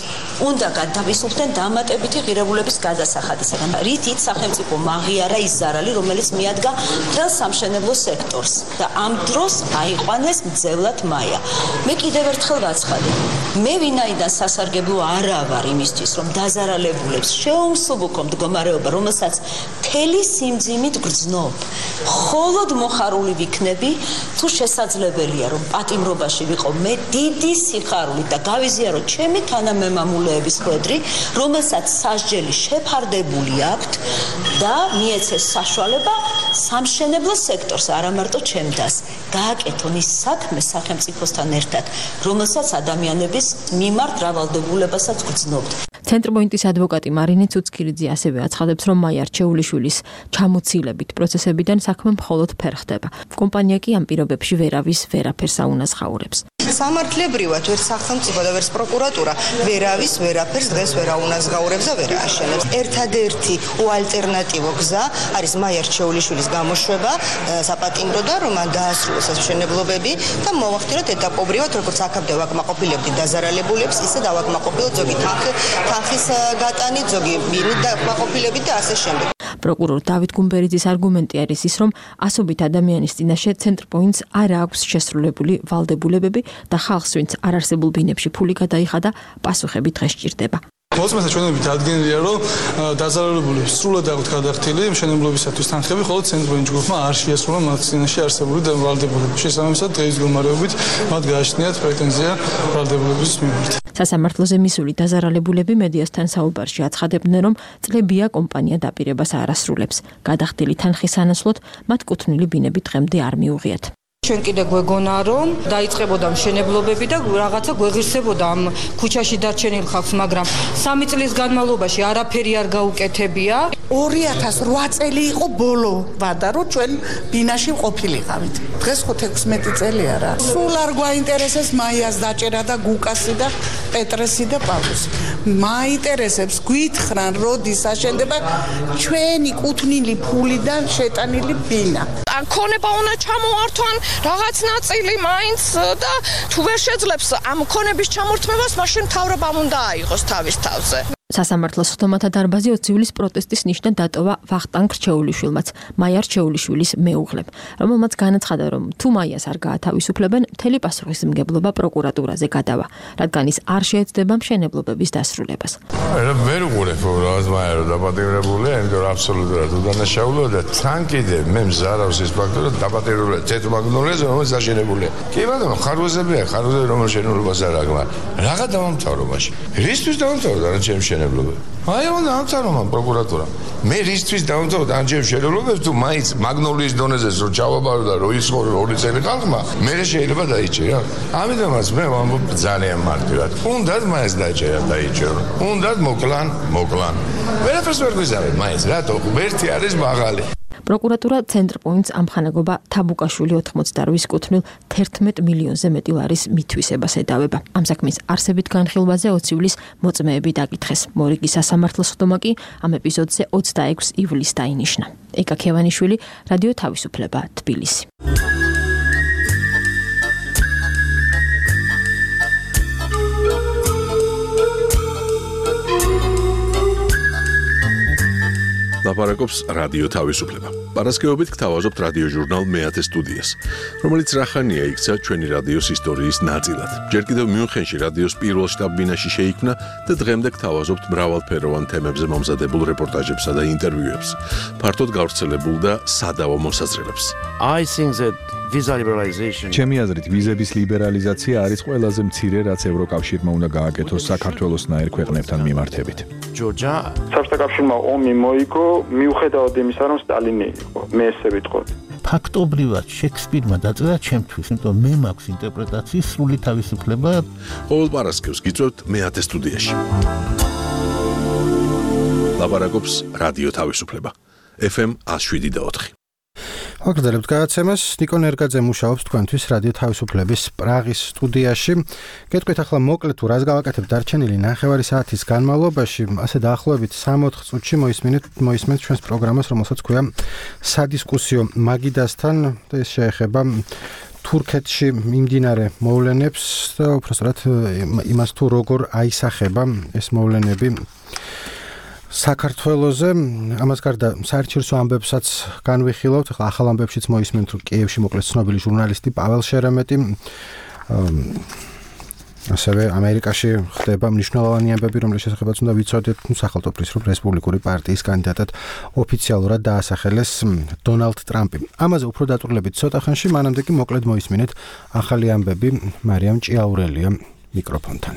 უნდა გადავისუფლდნენ დამატებითი ღირებულების გადასახადისაგან. რითიც სახელმწიფომ აღიარა ის ზარალი, რომელიც მიადგა მთელ სამშენებლო სექტორს და ამ დროს აიყვანეს მძევლად მაია. მე კიდევ ერთხელ ვაცხადებ, მე ვინაიდან სასარგებლო არა ვარ იმისთვის, რომ დაზარალებულებს შეუმსუბუქო მდგომარეობა, რომელსაც მთელი სიმძიმით გრძნობ. მხოლოდ მოხარული ვიქნები, თუ შესაძლებელია, რომ პატიმრობაში ვიყო მე დიდი სიხარულით და გავიზიარო ჩემი თანამემამულეების ხვედრი, რომელსაც სასჯელი შეფარდებული აქვთ და მიეცეს საშუალება სამშენებლო სექტორს, არა მარტო ჩემდას, გააკეთონ ის საქმე სახელმწიფოსთან ერთად, რომელსაც ადამიანების მიმართ რავალდებულებასაც გრძნობთ. ცენტრპოინტის ადვოკატი მარინე ცუცქირიძე ასევე აცხადებს, რომ მაია რჩეულიშვილის ჩამოცილებით პროცესებიდან საქმე მხოლოდ ფერხდება. კომპანია კი ამ პირობებში ვერავის ვერაფერს აუნაზღაურებს. სამართლებრივად ვერც სახელმწიფო და ვერც პროკურატურა ვერავის ვერაფერს დღეს ვერ აუნაზღაურებს და ვერ ააშენებს. ერთადერთი უალტერნატივო გზა არის მაია რჩეულიშვილის გამოშვება საპატიმრო და რომ მან დაასრულოს ეს მშენებლობები და მოვახდინოთ ეტაპობრივად, როგორც აქამდე ვაკმაყოფილებდით დაზარალებულებს, ისე დავაკმაყოფილოთ ზოგი თანხის გატანით, ზოგი მინით დაკმაყოფილებით და ასე შემდეგ. პროკურორ დავით გუმბერიძის არგუმენტი არის ის, რომ ასობით ადამიანის წინაშე ცენტრპოინტს არ აქვს შესრულებული ვალდებულებები და ხალხს, ვინც არ არსებულ ბინებში ფული გადაიხადა, პასუხები დღეს სჭირდება. მოსმენთა ჩვენებით ადგენილია, რომ დაზარალებულებს სრულად აქვთ გადახდილი მშენებლობისათვის თანხები, ხოლო ცენტრპოინტ ჯგუფმა არ შეასრულა მათ წინაშე არსებული ვალდებულებები. შესაბამისად, დღის მდგომარეობით მათ გააჩნიათ პრეტენზია ვალდებულების მიმართ. სასამართლოზე მისული დაზარალებულები მედიასთან საუბარში აცხადებდნენ, რომ წლებია კომპანია დაპირებას არ ასრულებს. გადახდილი თანხის ანაცვლოდ მათ კუთვნილი ბინები დღემდე არ მიუღიათ. ჩვენ კიდე გვეგონა, რომ დაიწყებოდა მშენებლობები და რაღაცა გვეღირსებოდა ამ ქუჩაში დარჩენილ ხალხს, მაგრამ სამი წლის განმავლობაში არაფერი არ გაუკეთებია. ორი ათას რვა წელი იყო ბოლო ვადა, რომ ჩვენ ბინაში ყოფილიყავით. დღეს ხო თექვსმეტი წელია რა. სულ არ გვაინტერესებს მაიას დაჭერა და გუკასი და პეტრესი და პავლუსი. მაინტერესებს გვითხრან, როდის აშენდება ჩვენი კუთვნილი ფულიდან შეტანილი ბინა. ან ქონება უნდა ჩამოართვან რაღაც ნაწილი მაინც და თუ ვერ შეძლებს ამ ქონების ჩამორთმევას, მაშინ მთავრობამ უნდა აიღოს თავის თავზე. სასამართლოს ხდომათა დარბაზი ოცი ივლისს პროტესტის ნიშნად დატოვა ვახტანგ რჩეულიშვილმაც, მაია რჩეულიშვილის მეუღლემ, რომელმაც განაცხადა, რომ თუ მაიას არ გაათავისუფლებენ, მთელი პასუხისმგებლობა პროკურატურაზე გადავა, რადგან ის არ შეეცდება მშენებლობების დასრულებას. ვერ უყურებ რაღაც მაია რომ დაპატიმრებულია, იმიტომ რომ აბსოლუტურად უდანაშაულოა და თან კიდე მე მზარავს ის ფაქტი, რომ დაპატიმრებულია ცენტრმაგნოლიაზე, რომელიც აშენებულია. კი ბატონო, ხარვეზებია, ხარვეზები რომელ შენებლობას არ აქვს. რაღა დავამთავრო მაშინ. რისთვის დავამთავრო და რა ჩემ აი უნდა ამცანომა პროკურატურა. მე რისთვის დავამთავრო და ამჯერ შენებლობებს თუ მაინც მაგნოლიის დონეზე რო ჩავაბარო და რო ისხორო ორი წელი ხალხმა, მე შეიძლება დაიჭირა. ამიტომაც მე ვამბობ ძალიან მარტივად. უნდათ მაინც დაიჭირა, დაიჭირო. უნდათ მოკლან, მოკლან. ვერაფერს ვერ გვიზარებ მაინც, რატო? ერთი არის მაღალი. პროკურატურა ცენტრპოინტს ამხანაგობა თაბუკაშვილი ოთხმოცდაორი კუთვნილ თერთმეტ მილიონზე მეტი ლარის მითვისებას ედავება. ამ საქმის არსებით განხილვაზე ოცი ივლისს მოწმეები დაკითხეს. მორიგის სასამართლოს ხდომა კი ამ ეპიზოდზე ოცდაექვსი ივლისს დაინიშნა. ეკა ქევანიშვილი, რადიო თავისუფლება, თბილისი. ლაპარაკობს რადიო თავისუფლება. პარასკევობით გთავაზობთ რადიო ჟურნალ მეათე სტუდიას, რომელიც რახანია იქცა ჩვენი რადიოს ისტორიის ნაწილად. ჯერ კიდევ მიუნხენში რადიოს პირველ შტაბ-ბინაში შეიქმნა და დღემდე გთავაზობთ მრავალფეროვან თემებზე მომზადებულ რეპორტაჟებსა და ინტერვიუებს, ფართოდ გავრცელებულ და სადავო მოსაზრებებს. I think that visa liberalization ჩემი აზრით ვიზების ლიბერალიზაცია არის ყველაზე მცირე, რაც ევროკავშირმა უნდა გააკეთოს საქართველოსნაირ ქვეყნებთან მიმართებით. ჯორჯა საბჭოთა კავშირმა ომი მოიგო, მიუხედავად იმისა, რომ სტალინი იყო, მე ესე ვიტყოდი. ფაქტობრივად შექსპირმა დაწერა ჩემთვის, იმიტომ მე მაქვს ინტერპრეტაციის სრული თავისუფლება. ყოველ პარასკევს გიწევთ მეათე სტუდიაში. ლაპარაკობს რადიო თავისუფლება. ეფ ემ one oh seven point four. ვაგრძელებთ გადაცემას. ნიკო ნერგაძე მუშაობს თქვენთვის რადიო თავისუფლების პრაღის სტუდიაში. გეტყვით ახლა მოკლედ თუ რას გავაკეთებთ დარჩენილი ნახევარი საათის განმავლობაში, ასე დაახლოებით სამოთხ წუთში მოისმინეთ მოისმენთ ჩვენს პროგრამას, რომელსაც ქვია სადისკუსიო მაგიდასთან. ეს შეეხება თურქეთში მიმდინარე მოვლენებს და უბრალოდ იმას თუ როგორ აისახება ეს მოვლენები საქართველოზე. ამას გარდა საერთაშორისო ამბებსაც განვიხილავთ. ახლა ახალ ამბებშიც მოისმენთ, რომ კიევში მოკლეს ცნობილი ჟურნალისტი პაվել შერემეტი. ასევე ამერიკაში ხდება მნიშვნელოვანი ამბები, რომლის შესახებაც უნდა ვიცოდეთ. სახელმწიფოს რესპუბლიკური პარტიის კანდიდატად ოფიციალურად დაასახელეს დონალდ ტრამპი. ამაზე უფრო დაწვრილებით ცოტა ხანში, მანამდე კი მოკლედ მოისმინეთ ახალი ამბები მარიამ ჭიაურელია მიკროფონთან.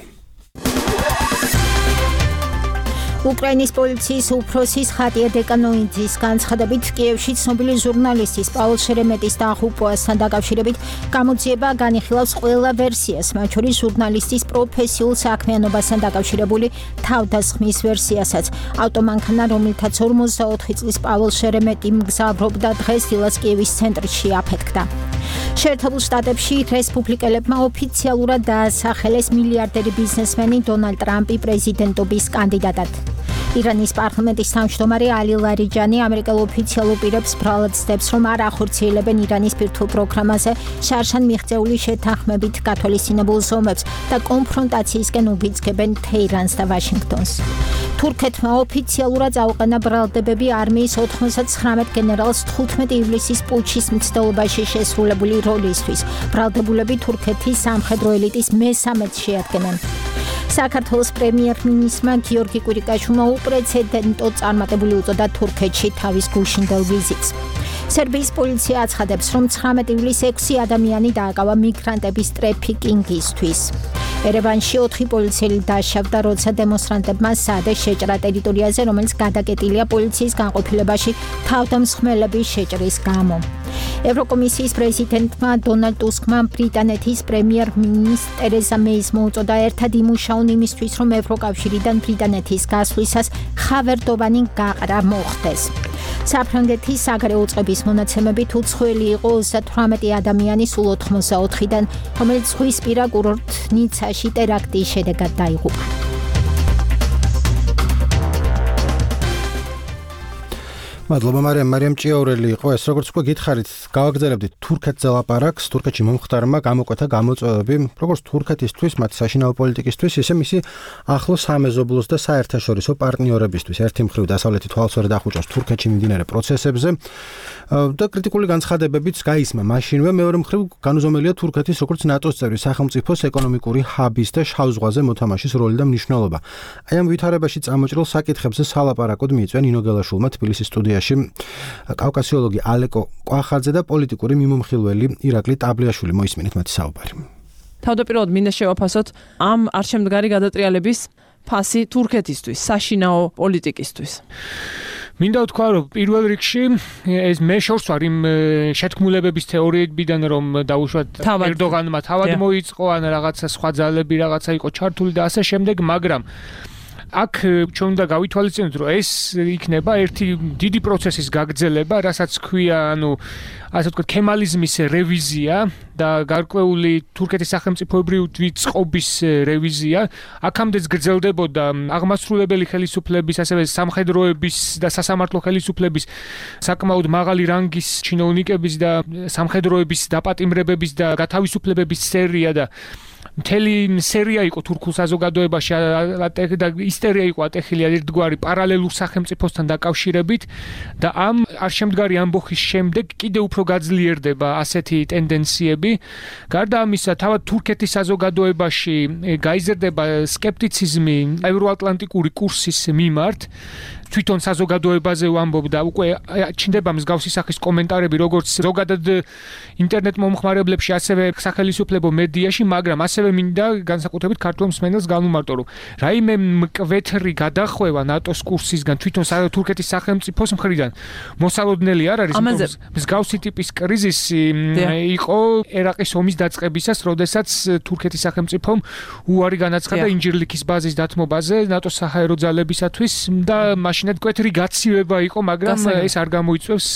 უკრაინის პოლიციის უფროსის ხატია დეკანოიძის განცხადებით კიევში ცნობილი ჟურნალისტის პაվել შერემეტის დაღუპვასთან დაკავშირებით გამოძიება განიხილავს ყველა ვერსიას, მათ შორის ჟურნალისტის პროფესიულ საქმიანობასთან დაკავშირებული თავდასხმის ვერსიასაც. ავტომანქანა, რომელთაც ორმოცდაოთხი წლის პაվել შერემეტი მგზავრობდა, დღეს დილას კიევის ცენტრში აფეთქდა. შეერთებულ შტატებში რესპუბლიკელებმა ოფიციალურად დაასახელეს მილიარდერი ბიზნესმენი დონალდ ტრამპი პრეზიდენტობის კანდიდატად. ირანის პარლამენტის თავმჯდომარე ალი ლარიჯანი ამერიკელ ოფიციალურ პირებს ბრალად ცდებს, რომ არ ახორციელებენ ირანის ბირთვულ პროგრამაზე შარშან მიღწეული შეთანხმებით გათვალისწინებულ ზომებს და კონფრონტაციისკენ უბიძგებენ თეირანს და ვაშინგტონს. თურქეთმა ოფიციალურად წაუყენა ბრალდებები არმიის ოთხმოცდათცხრამეტ გენერალს თხუთმეტი ივლისის პუტჩის მცდელობაში შესრულებული როლისთვის. ბრალდებულები თურქეთის სამხედრო ელიტის მესამედს შეადგენენ. საქართველოს პრემიერ-მინისტრმა გიორგი კვირიკაშვილმა უპრეცედენტოდ წარმატებული უწოდა თურქეთში თავის გუშინდელ ვიზიტს. სერბიის პოლიცია აცხადებს, რომ ცხრამეტი ივლისს ექვსი ადამიანი დააკავა მიგრანტების ტრაფიკინგისთვის. ერევანში ოთხი პოლიციელი დაშავდა, როცა დემონსტრანტებმა საადე შეჭრა ტერიტორიაზე, რომელიც გადაკეტილია პოლიციის განყოფილებაში თავდამსხმელების შეჭრის გამო. ევროკომისიის პრეზიდენტმა დონალდ ტუსკმა ბრიტანეთის პრემიერ-მინისტრ ტერეზა მეის მოუწოდა ერთად იმუშაონ იმისთვის, რომ ევროკავშირიდან ბრიტანეთის გასვლისას ხავერდოვანი გაყრა მოხდეს. საფრანგეთის საგარეო უწყების მონაცემებით უცხოელი იყო ოცდათვრამეტი ადამიანი სულ ოთხმოცდაოთხიდან, რომელიც ზღვისპირა კურორტ ნიცაში ტერაქტის შედეგად დაიღუპა. მადლობა მარიამ მარიამ ჭიაურელი იყო ეს. როგორც უკვე გითხარით, გავაგრძელებდით თურქეთზე ლაპარაკს. თურქეთში მომხდარმა გამოკვეთა გამოწვევები როგორც თურქეთისთვის, მათ საშინაო პოლიტიკისთვის, ისე მისი ახლო სამეზობლოს და საერთაშორისო პარტნიორებისთვის. ერთი მხრივ დასავლეთი თვალსაჩინო ახუჭავს თურქეთში მიმდინარე პროცესებზე და კრიტიკული განცხადებებიც გაისმა მაშინვე. მეორე მხრივ განუზომელია თურქეთის როგორც ნატოს წევრი სახელმწიფოს ეკონომიკური ჰაბის და შავ ზღვაზე მოთამაშის როლი და მნიშვნელობა. აი ამ ვითარებაში წამოჭრილ საკითხებზე სალაპარაკოდ მიიწვია ნინო გელაშვილმა თბილისის სტუდიაში კავკასიოლოგი ალეკო კვახაძე და პოლიტიკური მიმომხილველი ირაკლი ტაბლიაშვილი. მოისმინეთ მათი საუბარი. თავდაპირველად მინდა შევაფასოთ ამ არჩევნგარი გადატრიალების ფასი თურქეთისთვის, საშინაო პოლიტიკისთვის. მინდა ვთქვა, რომ პირველ რიგში ეს მე შორს ვარ იმ შეთქმულებების თეორიებიდან, რომ დაუშვათ ერდოღანმა თავად მოიწყო, ან რაღაცა სხვა ძალები რაღაცა იყო ჩართული და ასე შემდეგ, მაგრამ აქ ჩვენ უნდა გავითვალისწინოთ, რომ ეს იქნება ერთი დიდი პროცესის გაგრძელება, რასაც ქვია, ანუ ასე ვთქვათ, ქემალიზმის რევიზია და გარკვეული თურქეთის სახელმწიფოებრივი წყობის რევიზია. აქამდეც გრძელდებოდა აღმასრულებელი ხელისუფლების, ასევე სამხედროების და სასამართლო ხელისუფლების საკმაოდ მაღალი რანგის ჩინოვნიკების და სამხედროების დაპატიმრებების და გათავისუფლებების სერია და მთელი სერია იყო თურქულ საზოგადოებაში და ისტერია იყო ატეხილი ერთგვარი პარალელურ სახელმწიფოსთან დაკავშირებით და ამ არშემდგარი ამბოხის შემდეგ კიდევ უფრო გაძლიერდება ასეთი ტენდენციები. გარდა ამისა, თავად თურქეთის საზოგადოებაში გაიზრდება სკეპტიციზმი ევროატლანტიკური კურსის მიმართ თვითონ საზოგადოებაზე ვამბობ და უკვე ჩნდება მსგავსი სახის კომენტარები როგორც ზოგადად ინტერნეტ მომხმარებლებში, ასევე სახელმწიფო მედიაში, მაგრამ ასევე მინდა განსაკუთრებით ქართულ მსმენელს განვმარტო, რომ რაიმე მკვეთრი გადახვევა ნატოს კურსისგან თვითონ თურქეთის სახელმწიფოს მხრიდან მოსალოდნელი არ არის, ამაზე მსგავსი ტიპის კრიზისი იყო ერაყის ომის დაწყებისას, როდესაც თურქეთის სახელმწიფომ უარი განაცხადა ინჯირლიქის ბაზის დათმობაზე ნატოს საჰაერო ძალებისათვის და მაშინაც მკვეთრი გაცივება იყო, მაგრამ ეს არ გამოიწვევს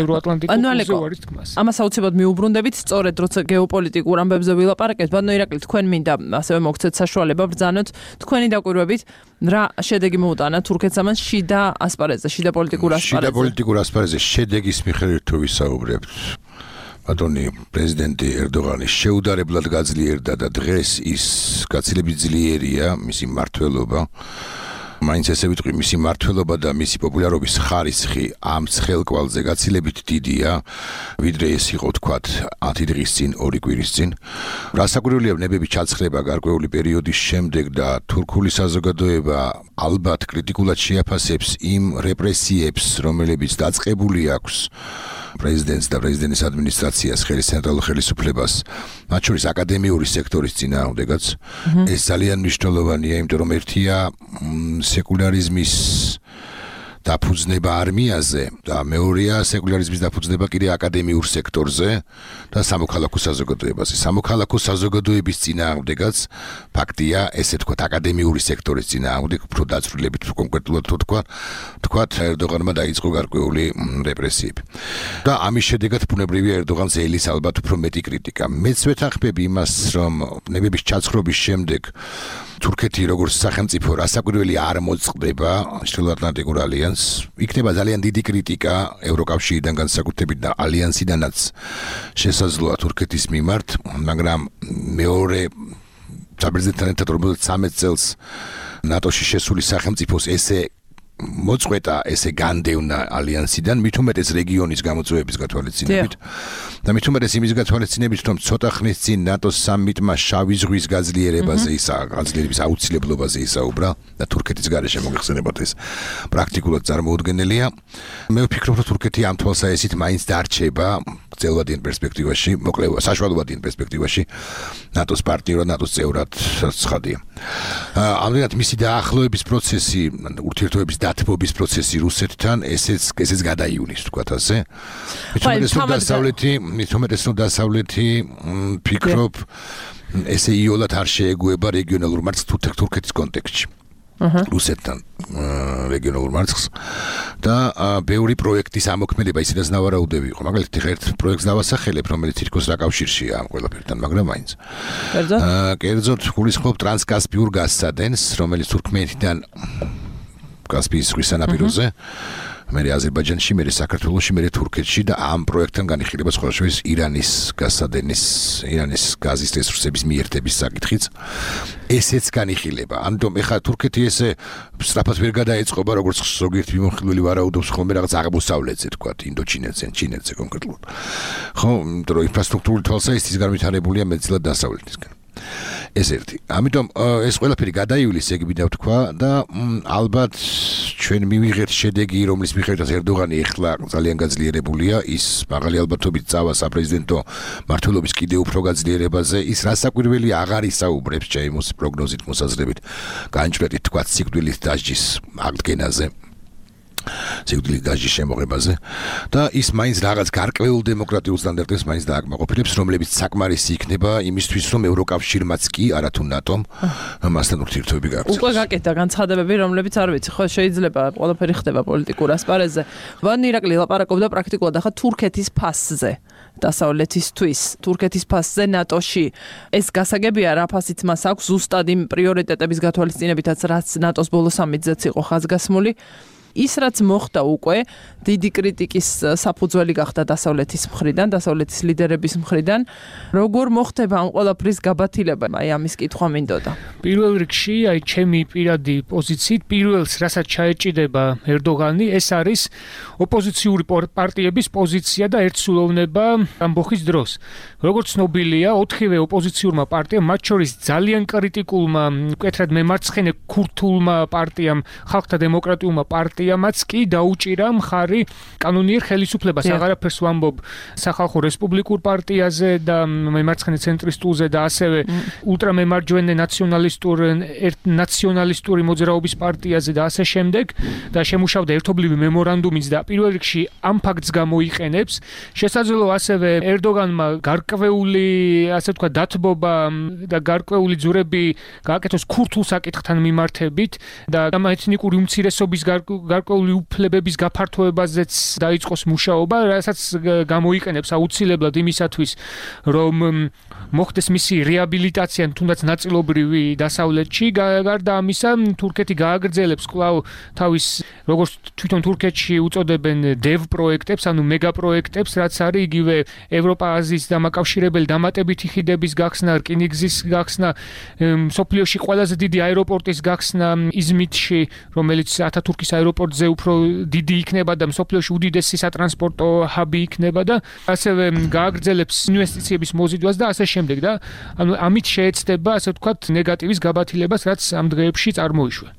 ევროატლანტიკურ უარის თქმას. ამას აუცილებლად მიუბრუნდებით, სწორედ როცა გეოპოლიტიკურ ამბებზე ვილაპარაკებთ, ბატონო ირაკლი, თქვენ მინდა ასევე მოგცეთ საშუალება ბრძანოთ თქვენი დაკვირვებით, რა შედეგი მოუტანა თურქეთს ამან შიდა ასპარეზზე, შიდა პოლიტიკურ ასპარეზზე. შიდა პოლიტიკურ ასპარეზზე შედეგის მიხედვით თუ ვისაუბრებთ, ბატონი პრეზიდენტი ერდოღანი შეუდარებლად გაძლიერდა და დღეს ის გაცილებით ძლიერია მისი მმართველობა. მაინც ესე ვიტყვი, მისი მმართველობა და მისი პოპულარობის ხარისხი ამ ცხელკვალზე გაცილებით დიდია, ვიდრე ეს იყო თქვათ ათი დღის წინ, ორი კვირის წინ. რასაკვირველია, ნებები ჩაცხრება გარკვეული პერიოდის შემდეგ და თურქული საზოგადოება ალბათ კრიტიკულად შეაფასებს იმ რეპრესიებს, რომლებიც დაწყებული აქვს პრეზიდენტს და პრეზიდენტის ადმინისტრაციას, ხელის ცენტრალურ ხელისუფლებას, მათ შორის აკადემიური სექტორის წინააღმდეგაც. ეს ძალიან მნიშვნელოვანია, იმიტომ რომ ერთია სეკულარიზმის დაფუძნება არმიაზე და მეორეა სეკულარიზმის დაფუძნება კიდე აკადემიურ სექტორზე და სამოქალაქო საზოგადოებაზე. სამოქალაქო საზოგადოების წინააღმდეგაც ფაქტია, ესე თქვათ, აკადემიური სექტორის წინააღმდეგ, უფრო დაწვრილებით კონკრეტულად თუ თქვა, თქვათ ერდოღანმა დაიწყო გარკვეული რეპრესიები. და ამის შედეგად ბუნებრივია ერდოღანს ელის ალბათ უფრო მეტი კრიტიკა. მეც ვეთანხმები იმას, რომ ნებების ჩაცხრობის შემდეგ თურქეთი როგორც სახელმწიფო რასაკვირველი არ მოწყდება ჩრდილოატლანტიკურ ალიანსს. იქნება ძალიან დიდი კრიტიკა ევროკავშირიდან განსაკუთრებით და ალიანსიდანაც შესაძლოა თურქეთის მიმართ, მაგრამ მეორე საბერძნეთთან ერთად რომელიც ცამეტ წელს ნატოში შესული სახელმწიფოს ესე მოწყვეტა, ესე განდევნა ალიანსიდან, მით უმეტეს რეგიონის გამოწვევების გათვალისწინებით და მით უმეტეს იმის გათვალისწინებით, რომ ცოტა ხნის წინ ნატოს სამიტმა შავი ზღვის გაძლიერებაზე ისა გაძლიერების აუცილებლობაზე ისაუბრა და თურქეთის გარეშე მოგეხსენებათ ეს პრაქტიკულად წარმოუდგენელია. მე ვფიქრობ, რომ თურქეთი ამ თვალსაჩინით მაინც დარჩება გრძელვადიან პერსპექტივაში, მოკლედ საშუალოვადიან პერსპექტივაში ნატოს პარტნიორად, ნატოს წევრად ცხადია. ამდენად მისი დაახლოების პროცესი, ურთიერთობების დათბობის პროცესი რუსეთთან ესეც ესეც გადაიulis თქვათ ასე. მithumetes რომ დასავლეთი, მithumetes რომ დასავლეთი ფიქრობ ესე იოლად არ შეეგუება რეგიონალურ მარცხს თურქეთის კონტექსტში. რუსეთთან რეგიონალურ მარცხს და ბევრი პროექტის ამოქმედება ისედაც ნავარაუდები იყო. მაგალითად ერთ პროექტს დავასახელებ, რომელიც თითქოს რა კავშირშია ამ ყველაფერთან, მაგრამ მაინც. კერძოდ? კერძოდ გულისხმობ ტრანსკასპიურ გაზსადენს, რომელიც თურქმენეთიდან კასპიის ზღვის სანაპიროზე, მერე აზერბაიჯანში, მერე საქართველოში, მერე თურქეთში და ამ პროექტთან განიხილება სხვა შორის ირანის გაზსადენის, ირანის გაზის რესურსების მიერთების საკითხიც. ესეც განიხილება. ამიტომ ეხლა თურქეთი ესე სწრაფად ვერ გადაეწყობა, როგორც ზოგიერთი მიმოხილველი ვარაუდობს ხოლმე რაღაც აღმოსავლეთზე, თქვათ, ინდოჩინეთზე, ჩინეთზე კონკრეტულად. ხო, იმიტომ რომ ინფრასტრუქტურული თვალსაზრისით განვითარებულია მეტწილად დასავლეთისგან. ეს ერთი. ამიტომ ეს ყველაფერი გადაიulis ეგ მინდა ვთქვა და ალბათ ჩვენ მივიღეთ შედეგი, რომლის მიხედვითაც ერდოღანი ეხლა ძალიან გაძლიერებულია, ის მაღალი ალბათობით წავა საპრეზიდენტო მმართველობის კიდევ უფრო გაძლიერებაზე, ის რასაკვირველი აღარ ისაუბრებს ჩემს პროგნოზით მოსაზრებით, განჭვრეტით თქვა სიკვდილით დასჯის აღდგენაზე. სიკვდილით დასჯის შემოღებაზე და ის მაინც რაღაც გარკვეულ დემოკრატიულ სტანდარტებს მაინც დააკმაყოფილებს, რომლებიც საკმარისი იქნება იმისთვის, რომ ევროკავშირმაც კი არათუ ნატომ მასთან ურთიერთობები გააკეთოს. უკვე გაკეთდა განცხადებები, რომლებიც არ ვიცი, ხო შეიძლება ყველაფერი ხდება პოლიტიკურ ასპარეზზე. ვან ირაკლი ლაპარაკობდა პრაქტიკულად ახლა თურქეთის ფასზე. დასავლეთისთვის, თურქეთის ფასზე ნატოში. ეს გასაგებია, რა ფასიც მას აქვს ზუსტად იმ პრიორიტეტების გათვალისწინებითაც, რაც ნატოს ბოლო სამიტზეც იყო ხაზგასმული. ის რაც მოხდა უკვე დიდი კრიტიკის საფუძველი გახდა დასავლეთის მხრიდან, დასავლეთის ლიდერების მხრიდან. როგორ მოხდება ამ ყველაფრის გაბათილება? აი ამის კითხვა მინდოდა. პირველ რიგში, აი ჩემი პირადი პოზიციით, პირველს რასაც ჩაეჭიდება ერდოღანი, ეს არის ოპოზიციური პარტიების პოზიცია და ერთსულოვნება ამბოხის დროს. როგორც ცნობილია, ოთხივე ოპოზიციურმა პარტიამ, მათ შორის ძალიან კრიტიკულმა, მკვეთრად მემარცხენე ქურთულმა პარტიამ, ხალხთა დემოკრატიულმა პარტიამ პარტიამაც კი დაუჭირა მხარი კანონიერ ხელისუფლებას. აღარაფერს ვამბობ სახალხო რესპუბლიკურ პარტიაზე და მემარცხენე ცენტრისტულზე და ასევე ულტრამემარჯვენე ნაციონალისტურ ნაციონალისტური მოძრაობის პარტიაზე და ასე შემდეგ და შემუშავდა ერთობლივი მემორანდუმიც და პირველ რიგში ამ ფაქტს გამოიყენებს. შესაძლოა ასევე ერდოგანმა გარკვეული ასე ვთქვათ დათბობა და გარკვეული ძურები გააკეთოს ქურთულ საკითხთან მიმართებით და ამ ეთნიკური უმცირესობის გარკვეული უფლებების გაფართოებაზეც დაიწყოს მუშაობა, რასაც გამოიყენებს აუცილებლად იმისათვის, რომ მოხდეს მისი რეაბილიტაცია თუნდაც ნაწილობრივი დასავლეთში. გარდა ამისა, თურქეთი გააგრძელებს კვლავ თავის როგორც თვითონ თურქეთში უწოდებენ დევ პროექტებს, ანუ მეგა პროექტებს, რაც არის იგივე ევროპა-აზიის დამაკავშირებელი დამატებითი ხიდების გახსნა, რკინიგზის გახსნა, მსოფლიოში ყველაზე დიდი აეროპორტის გახსნა იზმიტში, რომელიც ათათურქის აეროპორტზე უფრო დიდი იქნება და მსოფლიოში უდიდესი სატრანსპორტო ჰაბი იქნება და ასევე გააგრძელებს ინვესტიციების მოზიდვას და ასე შემდეგ და ანუ ამით შეეცდება ასე ვთქვათ ნეგატივის გაბათილებას, რაც ამ დღეებში წარმოიშვა.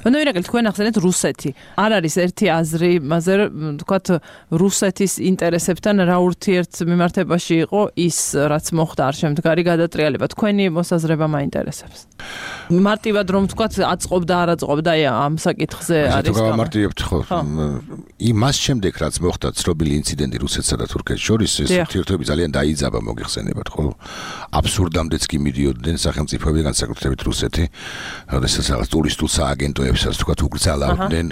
ანუ ირაკელი თქვენ ახსენეთ რუსეთი. არ არის ერთი აზრი, მასე ვთქვათ რუსეთის ინტერესებთან რა ურთიერთ მიმართებაში იყო ის, რაც მოხდა არ შემდგარი გადატრიალება. თქვენი მოსაზრება მაინტერესებს. მარტივად რომ ვთქვათ აწყობდა არ აწყობდა ამ საკითხზე არის გამო. გამარტივებთ ხო? იმას შემდეგ რაც მოხდა ცნობილი ინციდენტი რუსეთსა და თურქეთს შორის, ეს ურთიერთობები ძალიან დაიძაბა მოგიხსენებათ ხო? აბსურდამდეც კი მიდიოდნენ სახელმწიფოები განსაკუთრებით რუსეთი, როდესაც რაღაც ტურისტულ აგენტოებსაც თქვათ უგრძალავდნენ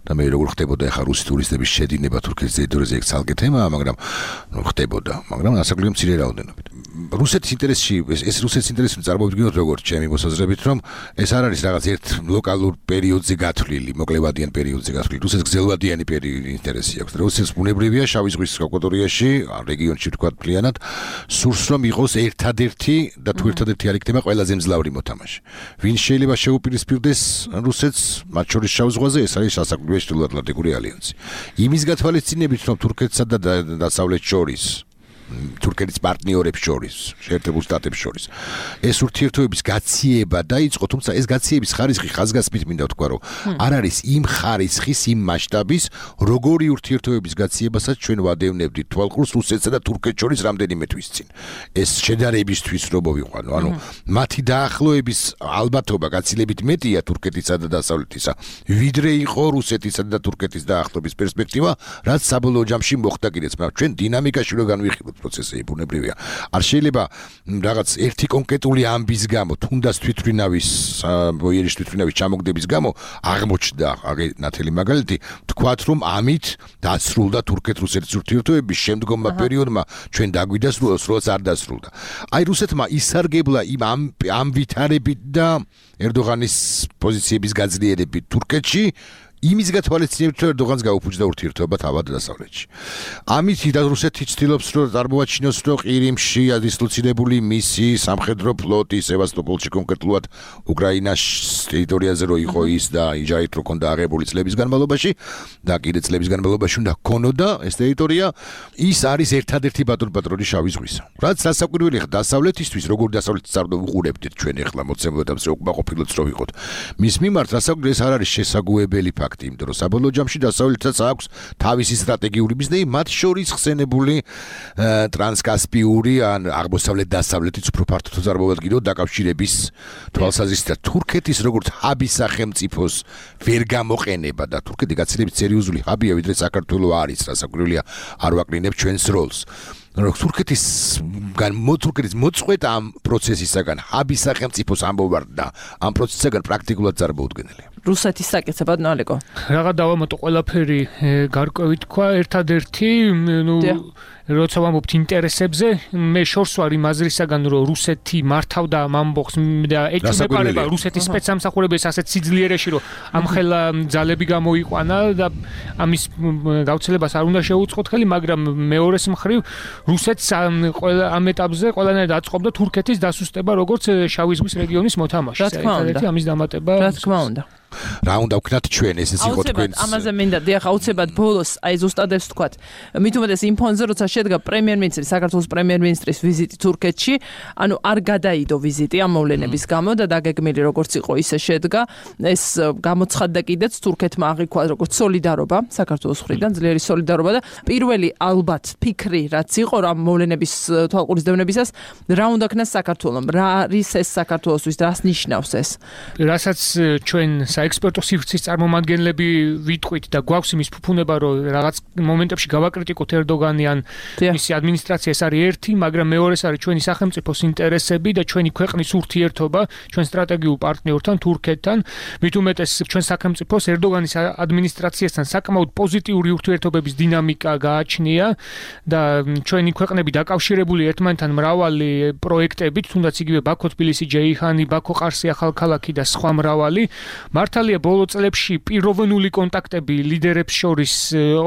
და მე როგორ ხდებოდა ახლა რუსი ტურისტების შედინება თურქეთის ტერიტორიაზე ეგ ცალკე თემაა, მაგრამ ნუ ხდებოდა, მაგრამ ასაკლიო მცირე რაოდენობით. რუსეთის ინტერესში ეს რუსეთის ინტერესი წარმოვიდგინოთ როგორც ჩემი მოსაზრებით, რომ ეს არ არის რაღაც ერთ ლოკალურ პერიოდზე გათვლილი, მოკლევადიან პერიოდზე გათვლილი, რუსეთს გრძელვადიანი ინტერესი აქვს. რუსეთს ბუნებრივია შავი ზღვის აკვატორიაში, რეგიონში თქვათ მთლიანად, სურს რომ იყოს ერთადერთი და თუ ერთადერთი არ იქნება ყველაზე მძლავრი მოთამაშე. ვინ შეიძლება შეუპირისპირდეს რუსეთს მათ შორის შავ ზღვაზე, ეს არის სასაკვირველი ჩრდილოატლანტიკური ალიანსი. იმის გათვალისწინებით, რომ თურქეთსა და დასავლეთს შორის თურქეთის პარტნიორებს შორის, შეერთებულ შტატებს შორის. ეს ურთიერთობების გაციება დაიწყო, თუმცა ეს გაციების ხარისხი ხაზგასმით მინდა ვთქვა, რომ არ არის იმ ხარისხის, იმ მასშტაბის, როგორი ურთიერთობების გაციებასაც ჩვენ ვადევნებდით თვალყურს რუსეთსა და თურქეთს შორის რამდენიმე თვის წინ. ეს შედარებისთვის რო მოვიყვანო, ანუ მათი დაახლოების ალბათობა გაცილებით მეტია თურქეთისა და დასავლეთისა, ვიდრე იყო რუსეთისა და თურქეთის დაახლოების პერსპექტივა, რაც საბოლოო ჯამში მოხდა კიდეც, მაგრამ ჩვენ დინამიკაში რო განვიხილოთ პროცესები ბუნებრივია. არ შეიძლება რაღაც ერთი კონკრეტული ამბის გამო, თუნდაც თვითმფრინავის ბოიერის თვითმფრინავის ჩამოგდების გამო აღმოჩნდა აგე ნათელი მაგალითი, თქვათ რომ ამით დასრულდა თურქეთ-რუსეთის ურთიერთობების შემდგომმა პერიოდმა ჩვენ დაგვიდასრულოს, როც არ დასრულდა. აი რუსეთმა ისარგებლა იმ ამ ვითარებით და ერდოღანის პოზიციების გაძლიერებით თურქეთში იმის გათვალისწინებით, რომ ერდოღანს გაუფუძდა ურთიერთობა თავად დასავლეთში. ამით და რუსეთი ცდილობს, რომ წარმოაჩინოს, რომ ყირიმში დისლოცირებული მისი სამხედრო ფლოტი სევასტოპოლში კონკრეტულად უკრაინას ტერიტორიაზე რო იყო ის და იჯარით რო ქონდა აღებული წლების განმავლობაში და კიდე წლების განმავლობაში უნდა ქონოდა ეს ტერიტორია, ის არის ერთადერთი ბატონ-პატრონი შავი ზღვისა. რაც დასაკვირველი ხა დასავლეთისთვის, როგორ დასავლეთის წარმო უყურებდით ჩვენ ახლა მოცემულობებს რო უკმაყოფილოთ რო ვიყოთ. მის მიმართ დასაკვირველი ეს არ არის შესაძლებელი ფაქტი. იმიტომ რომ საბოლოო ჯამში დასავლეთსაც აქვს თავისი სტრატეგიული მიზნები, მათ შორის ხსენებული ტრანსკასპიური ან აღმოსავლეთ დასავლეთის უფრო ფართოდ წარმოვადგინოთ დაკავშირების თვალსაზრისით თურქეთის როგორც ჰაბის სახელმწიფოს ვერ გამოყენება და თურქეთი გაცილებით სერიოზული ჰაბია, ვიდრე საქართველოს არის, რასაკვირველია არ ვაკრინებ ჩვენს როლს. თურქეთის თურქეთის მოწყვეტა ამ პროცესისაგან ჰაბის სახელმწიფოს ამბობარდა ამ პროცესისაგან პრაქტიკულად წარმოუდგენელია. რუსეთის საკითხებად ნალეკო. რაღაც დავამატო ყველაფერი გარკვევით თქვა, ერთადერთი ნუ როცა ვამბობთ ინტერესებზე, მე შორს ვარ იმ აზრისაგან, რომ რუსეთი მართავდა ამ ამბოხს და ეჭვმეპარება რუსეთის სპეცსამსახურებებს ასეთ სიძლიერეში, რომ ამხელა ძალები გამოიყვანა და ამის გავრცელებას არ უნდა შეუწყოთ ხელი, მაგრამ მეორეს მხრივ რუსეთს ყველა ამ ეტაპზე ყველანაირად აწყობდა თურქეთის დასუსტება როგორც შავი ზღვის რეგიონის მოთამაშე. რა თქმა უნდა, ამის დამატება. რა თქმა უნდა. რა უნდა ვქნათ ჩვენ, ესეც იყო თქვენს. ამაზე მინდა დიახ, აუცილებლად ბოლოს აი ზუსტად ეს ვთქვათ. მით უმეტეს იმ ფონზე როცა შედგა პრემიერ-მინისტრის, საქართველოს პრემიერ-მინისტრის ვიზიტი თურქეთში, ანუ არ გადაიდო ვიზიტი ამ მოვლენების გამო და დაგეგმილი როგორც იყო ისე შედგა. ეს გამოცხადდა კიდეც თურქეთმა აღიქვა როგორც სოლიდარობა საქართველოს მხრიდან, ძლიერი სოლიდარობა და პირველი ალბათ ფიქრი რაც იყო რა მოვლენების თვალყურისდევნებისას რა უნდა ქნას საქართველოს, რა არის ეს საქართველოსთვის, რას ნიშნავს ეს? რასაც ჩვენ საექსპერტო სივრცის წარმომადგენლები ვიტყვით და გვაქვს იმის ფუფუნება რომ რაღაც მომენტებში გავაკრიტიკოთ ერდოგანი ან მისი ადმინისტრაცია, ეს არის ერთი, მაგრამ მეორეს არის ჩვენი სახელმწიფოს ინტერესები და ჩვენი ქვეყნის ურთიერთობა ჩვენ სტრატეგიულ პარტნიორთან თურქეთთან. მით უმეტეს ჩვენ სახელმწიფოს ერდოგანის ადმინისტრაციასთან საკმაოდ პოზიტიური ურთიერთობების დინამიკა გააჩნია და ჩვენი ქვეყნები დაკავშირებული ერთმანეთთან მრავალი პროექტებით, თუნდაც იგივე ბაქო თბილისი ჯეიჰანი, ბაქო ყარსი ახალქალაქი და სხვა მრავალი. მართალია ბოლო წლებში პიროვნული კონტაქტები ლიდერებს შორის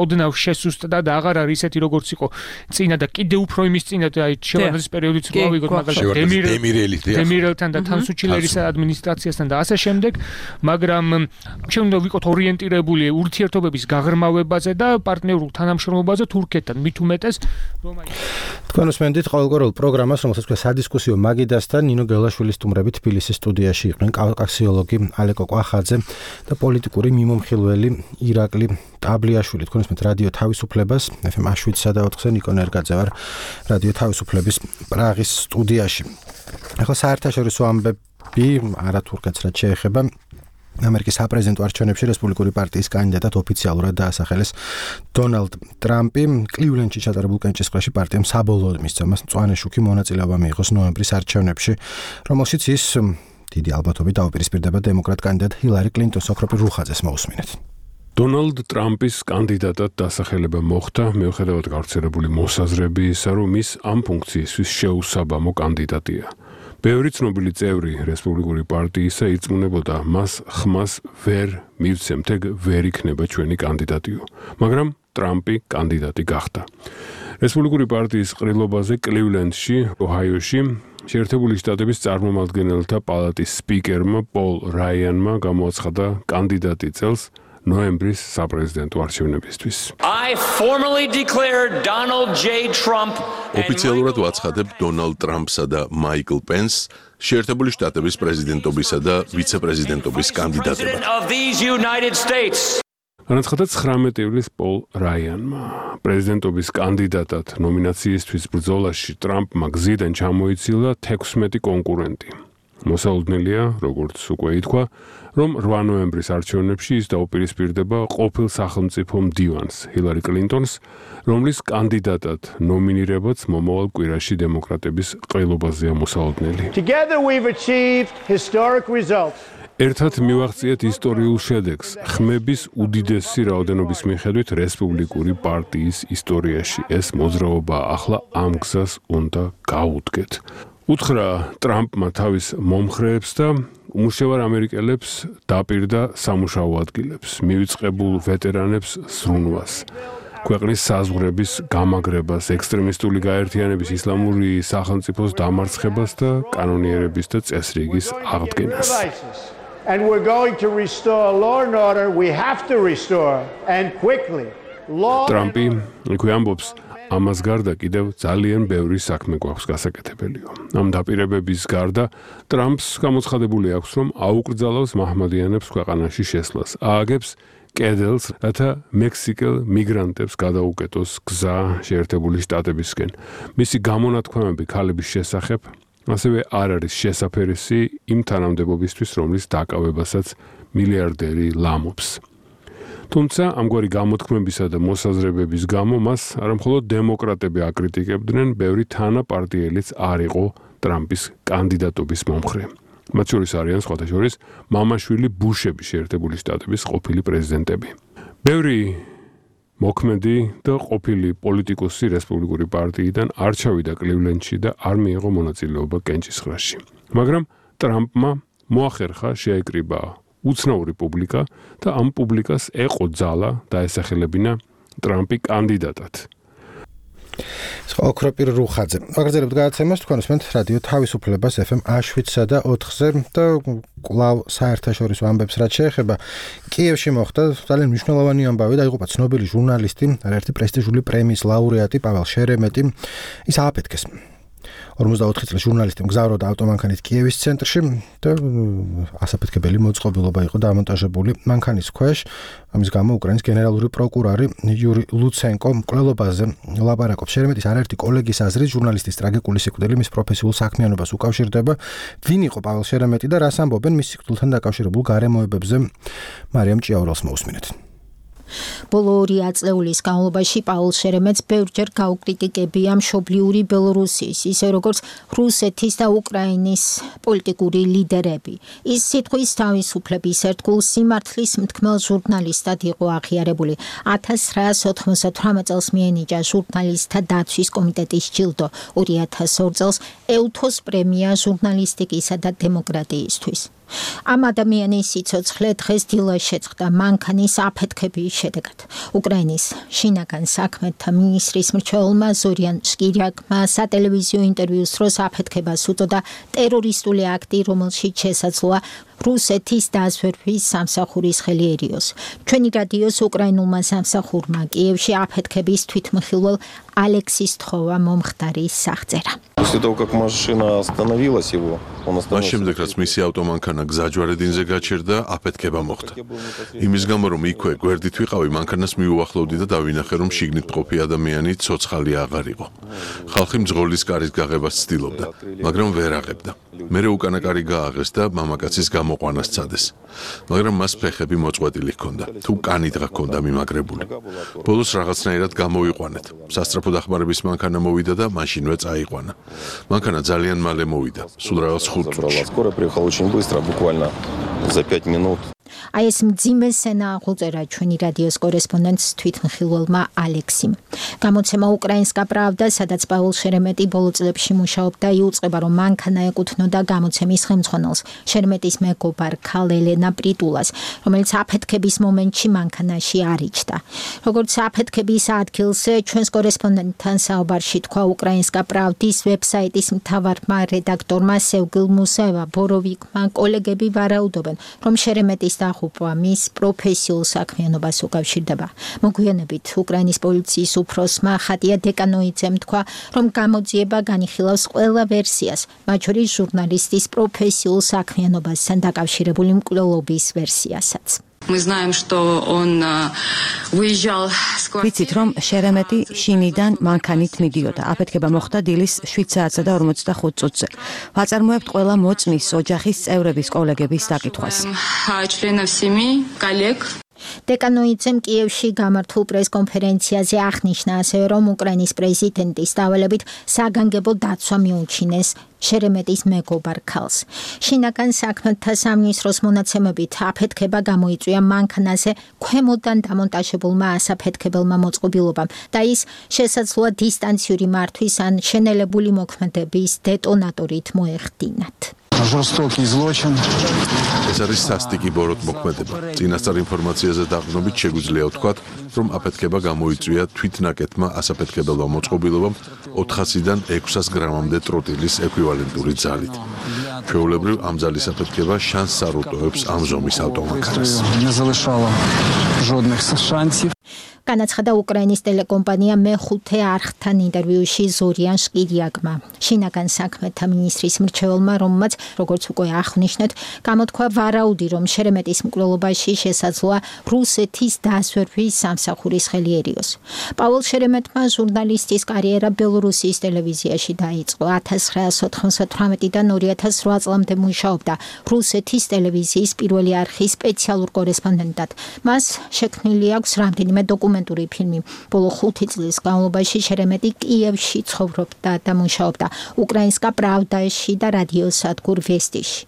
ოდნავ შესუსტდა და აღარ არის ისეთი როგორც იყო წინა და კიდევ უფრო იმის წინა და აი შევარდნაძის პერიოდიც რო ავიღოთ მაგალითად დემირელთან და თანსუჩილერის ადმინისტრაციასთან და ასე შემდეგ, მაგრამ ჩვენ უნდა ვიყოთ ორიენტირებული ურთიერთობების გაღრმავებაზე და პარტნიორულ თანამშრომლობაზე თურქეთთან, მით უმეტეს რომ აი თქვენ უსმენთ ყოველგვარულ პროგრამას, რომელსაც ქვია სადისკუსიო მაგიდასთან ნინო გელაშვილის სტუმრები თბილისის სტუდიაში იყვნენ კავკასიოლოგი ალეკო კვახაძე და პოლიტიკური მიმომხილველი ირაკლი ტაბლიაშვილი. თქვენ უსმენთ რადიო თავისუფლებას ეფ ემ შვიდსა და ოთხზე ნიკო ნერგაძე ვარ რადიო თავისუფლების პრაღის სტუდიაში. ახლა საერთაშორისო ამბები არა თურქეთს რაც შეეხება ამერიკის საპრეზიდენტო არჩევნებში რესპუბლიკური პარტიის კანდიდატად ოფიციალურად დაასახელეს დონალდ ტრამპი. კლივლენდში ჩატარებულ კენჭისყრაში პარტიამ საბოლოოდ მისცა მას მწვანე შუქი მონაწილეობა მიიღოს ნოემბრის არჩევნებში, რომელშიც ის დიდი ალბათობით დაუპირისპირდება დემოკრატ კანდიდატ ჰილარი კლინტონს. ოქროპირ რუხაძეს მოусმინეთ. დონალდ ტრამპის კანდიდატად დასახელება მოხდა მიუხედავად გავრცელებული მოსაზრებისა, რომ ის ამ ფუნქციისთვის შეუსაბამო კანდიდატია. ბევრი ცნობილი წევრი რესპუბლიკური პარტიისა ირწმუნებოდა მას ხმას ვერ მივცემთ, ეგ ვერ იქნება ჩვენი კანდიდატიო, მაგრამ ტრამპი კანდიდატი გახდა. რესპუბლიკური პარტიის ყრილობაზე კლივლენდში, ოჰაიოში შეერთებული შტატების წარმომადგენელთა პალატის სპიკერმა პოლ რაიანმა გამოაცხადა კანდიდატი წელს ნოემბრის საპრეზიდენტო არჩევნებისთვის. I formally declare Donald J. Trump ოფიციალურად ვაცხადებ დონალდ ტრამპსა და მაიკლ პენს შეერთებული შტატების პრეზიდენტობისა და ვიცე-პრეზიდენტობის კანდიდატებად. განაცხადა ცხრამეტი ივლისს პოლ რაიანმა. პრეზიდენტობის კანდიდატად ნომინაციისთვის ბრძოლაში ტრამპმა გზიდან ჩამოიცილა თექვსმეტი კონკურენტი. მოსაუძნელია, როგორც უკვე ითქვა, რომ რვა ნოემბრის არჩევნებში ის დაუპირისპირდება ყოფილ სახელმწიფო მდივანს ჰილარი კლინტონს, რომლის კანდიდატად ნომინირებაც მომავალ კვირაში დემოკრატების ყრილობაზეა მოსაუძნელი. Together we've achieved historic results. ერთად მივაღწიეთ ისტორიულ შედეგს ხმების უდიდესი რაოდენობის მიხედვით რესპუბლიკური პარტიის ისტორიაში. ეს მოძრაობა ახლა ამ გზას უნდა გაუდგეთ. უთხრა ტრამპმა თავის მომხრეებს და უმუშევარ ამერიკელებს დაპირდა სამუშაო ადგილებს, მივიწყებულ ვეტერანებს ზრუნვას, ქვეყნის საზღვრების გამაგრებას, ექსტრემისტული გაერთიანების ისლამური სახელმწიფოს დამარცხებას და კანონიერების და წესრიგის აღდგენას. And we're going to restore law and order. We have to restore and quickly. ტრამპი იქვე ამბობს, ამას გარდა კიდევ ძალიან ბევრი საქმე გვაქვს გასაკეთებელიო. ამ დაპირებების გარდა ტრამპს გამოცხადებული აქვს, რომ აუკრძალავს მაჰმადიანებს ქვეყანაში შესვლას, ააგებს კედელს, რათა მექსიკელ მიგრანტებს გადაუკეტოს გზა შეერთებული შტატებისკენ. მისი გამონათქვამები ქალების შესახებ ასევე არ არის შესაფერისი იმ თანამდებობისთვის, რომლის დაკავებასაც მილიარდერი ლამობს. თუმცა ამგვარი გამოთქმებისა და მოსაზრებების გამო მას არამხოლოდ დემოკრატები აკრიტიკებდნენ, ბევრი თანაპარტიელიც არ იყო ტრამპის კანდიდატობის მომხრე. მათ შორის არიან სხვათა შორის მამაშვილი ბუშები შეერთებული შტატების ყოფილი პრეზიდენტები. ბევრი მოქმედი და ყოფილი პოლიტიკოსი რესპუბლიკური პარტიიდან არ ჩავიდა კლივლენდში და არ მიიღო მონაწილეობა კენჭისყრაში. მაგრამ ტრამპმა მოახერხა შეეკრიბა უცნაური პუბლიკა და ამ პუბლიკას ეყო ძალა დაესახელებინა ტრამპი კანდიდატად. ოქროპირ რუხაძე. აგრძელებთ გადაცემას თქვენ უსმენთ რადიო თავისუფლებას ეფ ემ შვიდსა და ოთხზე და კვლავ საერთაშორისო ამბებს რაც შეეხება კიევში მოხდა ძალიან მნიშვნელოვანი ამბავი და იღუპა ცნობილი ჟურნალისტი, არაერთი პრესტიჟული პრემიის ლაურეატი პაվել შერემეტი. ის ააფეთქეს. ორმოცდაოთხი წლის ჟურნალისტი მგზავრობდა ავტომანქანით კიევის ცენტრში და ასაფეთქებელი მოწყობილობა იყო დამონტაჟებული მანქანის ქვეშ. ამის გამო უკრაინის გენერალური პროკურორი იური ლუცენკო მკვლელობაზე ლაპარაკობს. შერემეტის არაერთი კოლეგის აზრით ჟურნალისტის ტრაგიკული სიკვდილი მის პროფესიულ საქმიანობას უკავშირდება. ვინ იყო პაվել შერემეტი და რას ამბობენ მის სიკვდილთან დაკავშირებულ გარემოებებზე? მარიამ ჭიაურელს მოусმინეთ. ბოლო ორი აწლეულის განმავლობაში პაულ შერემეტს ბევრჯერ გაუკრიტიკებია მშობლიური ბელორუსიის, ისე როგორც რუსეთის და უკრაინის პოლიტიკური ლიდერები. ის სიტყვის თავისუფლების ერთგულ სიმართლის მთქმელ ჟურნალისტად იყო აღიარებული. ათას ცხრაას ოთხმოცდათვრამეტ წელს მიენიჭა ჟურნალისტთა დაცვის კომიტეტის ჯილდო, ორი ათას ორ წელს ევთოს პრემია ჟურნალისტიკისა და დემოკრატიისთვის. ამ ადამიანის სიცოცხლე დღეს დილას შეწყდა მანქანის აფეთქების შედეგად. უკრაინის შინაგან საქმეთა მინისტრის მრჩეველმა ზორიან შკირიაკმა სატელევიზიო ინტერვიუს დროს აფეთქებას უწოდა ტერორისტული აქტი, რომელშიც შესაძლოა რუსეთის დაზვერვის სამსახურის ხელი ერიოს. ჩვენი რადიოს უკრაინულმა სამსახურმა კიევში აფეთქების თვითმხილველ ალექსის თხოვა მომხდარის სახწერა. После того, как машина остановилась его, он მას შემდეგ რაც მისი ავტომანქანა გზაჯვარედინზე გაჩერდა, აფეთქება მოხდა. იმის გამო რომ იქვე გვერდით ვიყავი, მანქანას მიუახლოვდი და დავინახე რომ შიგნით მყოფი ადამიანი ცოცხალი აღარ იყო. ხალხი მძღოლის კარის გაღებას ცდილობდა, მაგრამ ვერ აღებდა. მერე უკანა კარი გააღეს და მამაკაცის გამოყვანა სცადეს. მაგრამ მას ფეხები მოწყვეტილი ჰქონდა, თუ კანი დღა ჰქონდა მიმაგრებული. ბოლოს რაღაცნაირად გამოვიყვანეთ. სასწრაფო დახმარების მანქანა მოვიდა და მაშინვე წაიყვანა. მანქანა ძალიან მალე მოვიდა, სულ რაღაც ხუთ წუთში. Скоро приехал очень быстро, буквально за пять минут. აი ეს მძიმე სცენა აღუწერა ჩვენი რადიოს კორესპონდენტს თვითმხილველმა ალექსიმ. გამოცემა უკრაინსკა პრავდა, სადაც პაվել შერემეტი ბოლო წლებში მუშაობდა, იუწყება რომ მანქანა ეკუთვნოდა გამოცემის ხელმძღვანელს, შერემეტის მეგობარ ქალ ელენა პრიტულას, რომელიც აფეთქების მომენტში მანქანაში არ იჯდა. როგორც აფეთქების ადგილს ჩვენს კორესპონდენტთან საუბარში თქვა უკრაინსკა პრავდის ვებსაიტის მთავარმა რედაქტორმა სევგილ მუსაევა ბოროვიკმა, კოლეგები ვარაუდობენ, რომ შერემეტის დაღუპვა მის პროფესიულ საქმიანობას უკავშირდება. მოგვიანებით უკრაინის პოლიციის უფროსმა ხატია დეკანოიძემ თქვა, რომ გამოძიება განიხილავს ყველა ვერსიას, მათ შორის ჟურნალისტის პროფესიულ საქმიანობასთან დაკავშირებული მკვლელობის ვერსიასაც. Мы знаем, что он выезжал с квартиры. ვიცით, რომ შერემეტი შინიდან მანქანით მიდიოდა. აფეთქება მოხდა დილის შვიდ საათსა და ორმოცდახუთ წუთზე. ვაწარმოებთ ყველა მოწმის ოჯახის წევრების კოლეგების დაკითხვას. членов семьи, коллег. დეკანოიძემ კიევში გამართულ პრესკონფერენციაზე აღნიშნა ასევე, რომ უკრაინის პრეზიდენტის დავალებით საგანგებო დაცვა მიუჩინეს შერემეტის მეგობარ ქალს. შინაგან საქმეთა სამინისტროს მონაცემებით აფეთქება გამოიწვია მანქანაზე ქვემოდან დამონტაჟებულმა ასაფეთქებელმა მოწყობილობამ და ის შესაძლოა დისტანციური მართვის ან შენელებული მოქმედების დეტონატორით მოეხდინათ. Жестокий злочин. ეს არის სასტიკი ბოროტ მოქმედება. წინასწარ ინფორმაციაზე დაყრდნობით შეგვიძლია ვთქვათ, რომ აფეთქება გამოიწვია თვითნაკეთმა ასაფეთქებელმა მოწყობილობამ ოთხასიდან ექვსას გრამამდე ტროტილის ეკვივალენტური ძალით. ჩვეულებრივ ამ ძალის აფეთქება შანსს არ უტოვებს ამ ზომის ავტომანქანას. Не залишало жодних шансів. განაცხადა უკრაინის ტელეკომპანია მეხუთე არხთან ინტერვიუში ზორიან შკირიაკმა. შინაგან საქმეთა მინისტრის მრჩეველმა, რომელმაც, როგორც უკვე აღნიშნეთ, გამოთქვა ვარაუდი, რომ შერემეტის მკვლელობაში შესაძლოა რუსეთის დაზვერვის სამსახურის ხელი ერიოს. პაվել შერემეტმა ჟურნალისტის კარიერა ბელორუსიის ტელევიზიაში დაიწყო. ათას ცხრაას ოთხმოცდათვრამეტიდან ორი ათას რვა წლამდე მუშაობდა რუსეთის ტელევიზიის პირველი არხის სპეციალურ კორესპონდენტად. მას შექმნილი აქვს რამდენიმე დოკუმენტური ფილმი. ბოლო ხუთი წლის განმავლობაში შერემეტი კიევში ცხოვრობდა და მუშაობდა უკრაინსკა პრავდაში და რადიო სადგურ ვესტიში.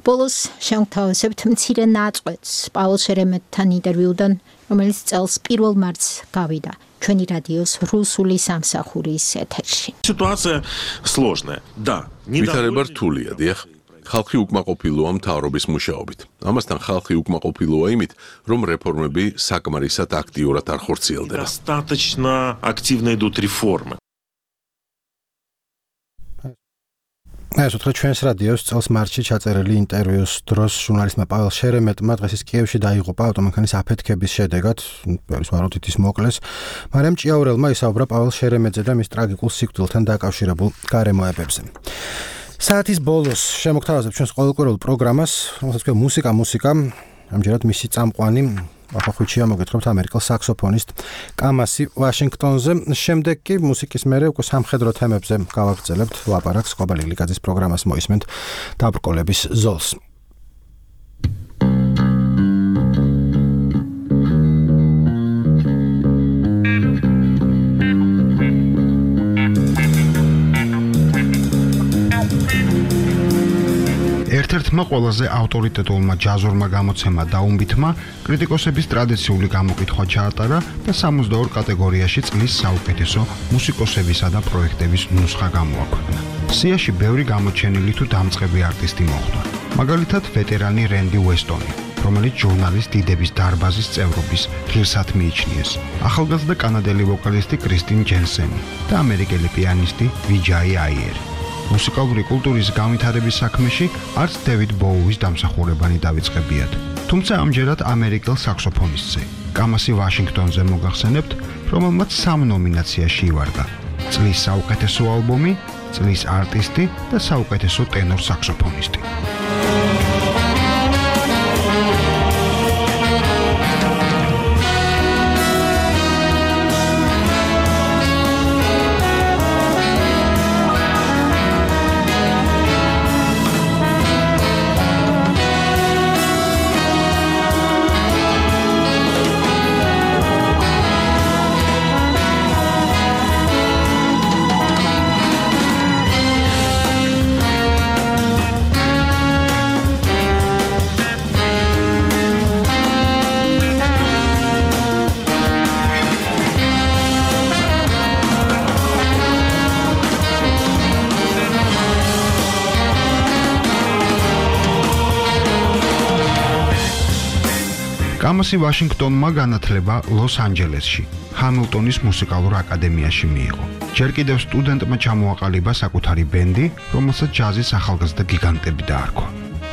ბოლოს შევთავაზებთ მცირე ნაწყვეტს პაվել შერემეტთან ინტერვიუდან, რომელიც წელს პირველ მარტს გავიდა ჩვენი რადიოს რუსული სამსახურის ეთერში. Ситуация сложная. Да, ვითარება რთულია, დიახ. ხალხი უკმაყოფილოა მთავრობის მუშაობით. ამასთან ხალხი უკმაყოფილოა იმით, რომ რეფორმები საკმარისად აქტიურად არ ხორციელდება. Достаточно активно идут реформы. ეს უთხრა ჩვენს რადიოს წელს მარტში ჩაწერილი ინტერვიუს დროს ჟურნალისტმა პაվել შერემეტმა დღეს ის კიევში დაიღუპა ავტომანქანის აფეთქების შედეგად, ბევრის ვარაუდით ის მოკლეს. მარიამ ჭიაურელმა ისაუბრა პაվել შერემეტზე და მის ტრაგიკულ სიკვდილთან დაკავშირებულ გარემოებებზე. საათის ბოლოს შემოგთავაზებ ჩვენს ყოველკვირეულ პროგრამას, რომელსაც ქვია მუსიკა მუსიკა. ამჯერად მისი წამყვანი ახალხუჩია მოგეთხრობთ ამერიკელ საქსოფონისტ კამასი ვაშინგტონზე. შემდეგ კი მუსიკის მერე უკვე სამხედრო თემებზე გავაგრძელებთ ლაპარაკს. ყვაბალი გლიკაძის პროგრამას მოისმენთ დაბრკოლების ზოლს. ერთ-ერთმა ყველაზე ავტორიტეტულმა ჯაზურმა გამოცემა დაუმბითმა კრიტიკოსების ტრადიციული გამოკითხვა ჩაატარა და სამოცდაორ კატეგორიაში წლის საუკეთესო მუსიკოსებისა და პროექტების ნუსხა გამოაქვეყნა. სიაში ბევრი გამოჩენილი თუ დამწყები არტისტი მოხვდა. მაგალითად, ვეტერანი რენდი უესტონი, რომელიც ჟურნალის დიდების დარბაზის წევრობის ღირსად მიიჩნიეს, ახალგაზრდა კანადელი ვოკალისტი კრისტინ ჯენსენი და ამერიკელი პიანისტი ვიჯაი აიერი. მუსიკალური კულტურის განვითარების საქმეში არც დევიდ ბოუის დამსახურებანი დავიწყებიათ. თუმცა ამჯერად ამერიკელ საქსოფონისტზე, კამასი ვაშინგტონზე მოგახსენებთ, რომელმაც სამ ნომინაციაში ივარდა: წლის საუკეთესო ალბომი, წლის არტისტი და საუკეთესო ტენორ საქსოფონისტი. კამასი ვაშინგტონმა განათლება ლოს-ანჯელესში, ჰამილტონის მუსიკალურ აკადემიაში მიიღო. ჯერ კიდევ სტუდენტმა ჩამოაყალიბა საკუთარი ბენდი, რომელსაც ჯაზის ახალგაზრდა გიგანტები დაარქვა.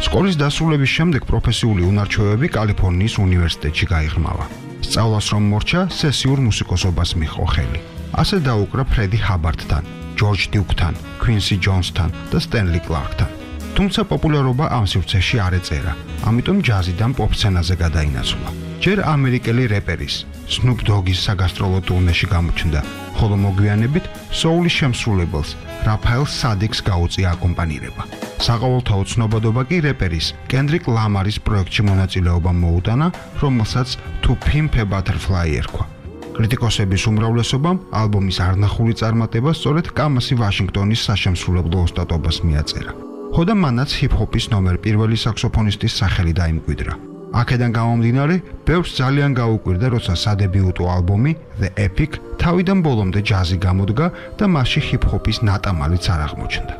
სკოლის დასრულების შემდეგ პროფესიული უნარჩვევები კალიფორნიის უნივერსიტეტში გაიღრმავა. სწავლას რომ მორჩა, სესიურ მუსიკოსობას მიჰყო ხელი. ასე დაუკრა ფრედი ჰაბარდთან, ჯორჯ დიუკთან, ქვინსი ჯონსთან და სტენლი კლარკთან. თუმცა პოპულარობა ამ სივრცეში არ ეწერა, ამიტომ ჯაზიდან პოპ სცენაზე გადაინაცვლა. ჯერ ამერიკელი რეპერის, სნუპ დოგის საგასტროლო ტურნეში გამოჩნდა, ხოლო მოგვიანებით სოულის შემსრულებელს, რაფაელ სადიქს გაუწია აკომპანირება. საყოველთაო ცნობადობა კი რეპერის, კენდრიკ ლამარის პროექტში მონაწილეობა მოუტანა, რომელსაც To Pimp a Butterfly ერქვა. კრიტიკოსების უმრავლესობამ ალბომის არნახული წარმატება სწორედ კამასი ვაშინგტონის საშემსრულებლო ოსტატობას მიაწერა. ხოდა მანაც ჰიპ-ჰოპის ნომერ პირველი საქსოფონისტის სახელი დაიმკვიდრა. აქედან გამომდინარე, ბევრს ძალიან გაუკვირდა, როცა სადებიუტო ალბომი The Epic თავიდან ბოლომდე ჯაზი გამოდგა და მასში ჰიპ-ჰოპის ნატამალიც არ აღმოჩნდა.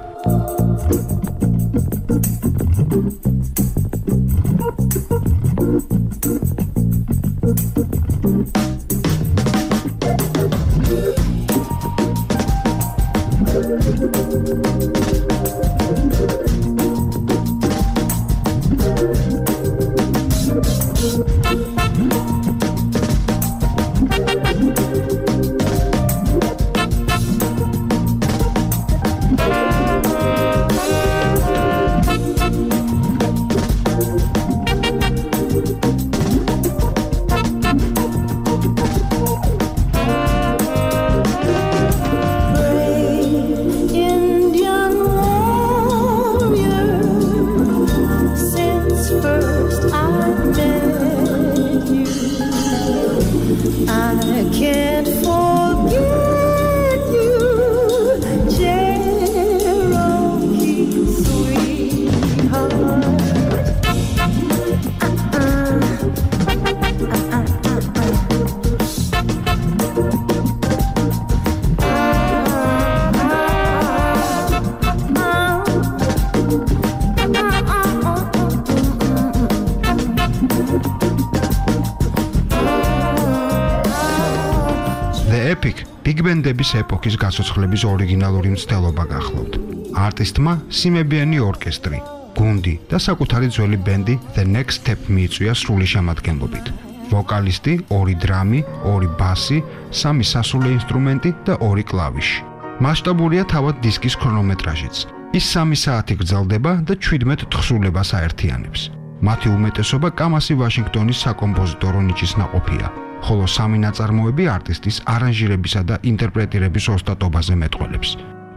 ბიგ ბენდების ეპოქის გასოცხლების ორიგინალური მცდელობა გახლავთ. არტისტმა სიმებიანი ორკესტრი, გუნდი და საკუთარი ძველი ბენდი The Next Step მიიწვია სრული შემადგენლობით. ვოკალისტი, ორი დრამი, ორი ბასი, სამი სასულე ინსტრუმენტი და ორი კლავიში. მასშტაბურია თავად დისკის ქრონომეტრაჟიც. ის სამი საათი გრძელდება და შვიდმეტ თხზულებას აერთიანებს. მათი უმეტესობა კამასი ვაშინგტონის საკომპოზიტორო ნიჭის ნაყოფია, ხოლო სამი ნაწარმოები არტისტის არანჟირებისა და ინტერპრეტირების ოსტატობაზე მეტყველებს.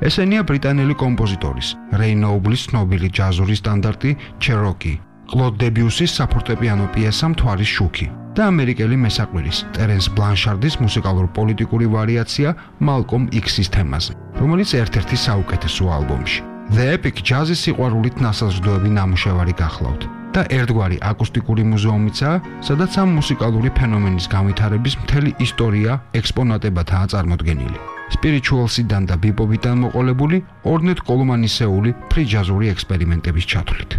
ესენია ბრიტანელი კომპოზიტორის, რეი ნოუბლის ცნობილი ჯაზური სტანდარტი Cherokee, კლოდ დებიუსის საფორტეპიანო პიესა მთვარის შუქი და ამერიკელი მესაყვირის, ტერენს ბლანშარდის მუსიკალურ-პოლიტიკური ვარიაცია Malcolm X-ის თემაზე, რომელიც ერთ-ერთი საუკეთესო ალბომში. The Epic ჯაზის სიყვარულით ნასაზრდოები ნამუშევარი გახლავთ და ერთგვარი აკუსტიკური მუზეუმიცაა, სადაც ამ მუსიკალური ფენომენის განვითარების მთელი ისტორია ექსპონატებადაა წარმოდგენილი. სპირიჩუალსიდან და ბიპობიდან მოყოლებული ორნეტ კოლუმანისეული ფრიჯაზური ექსპერიმენტების ჩათვლით.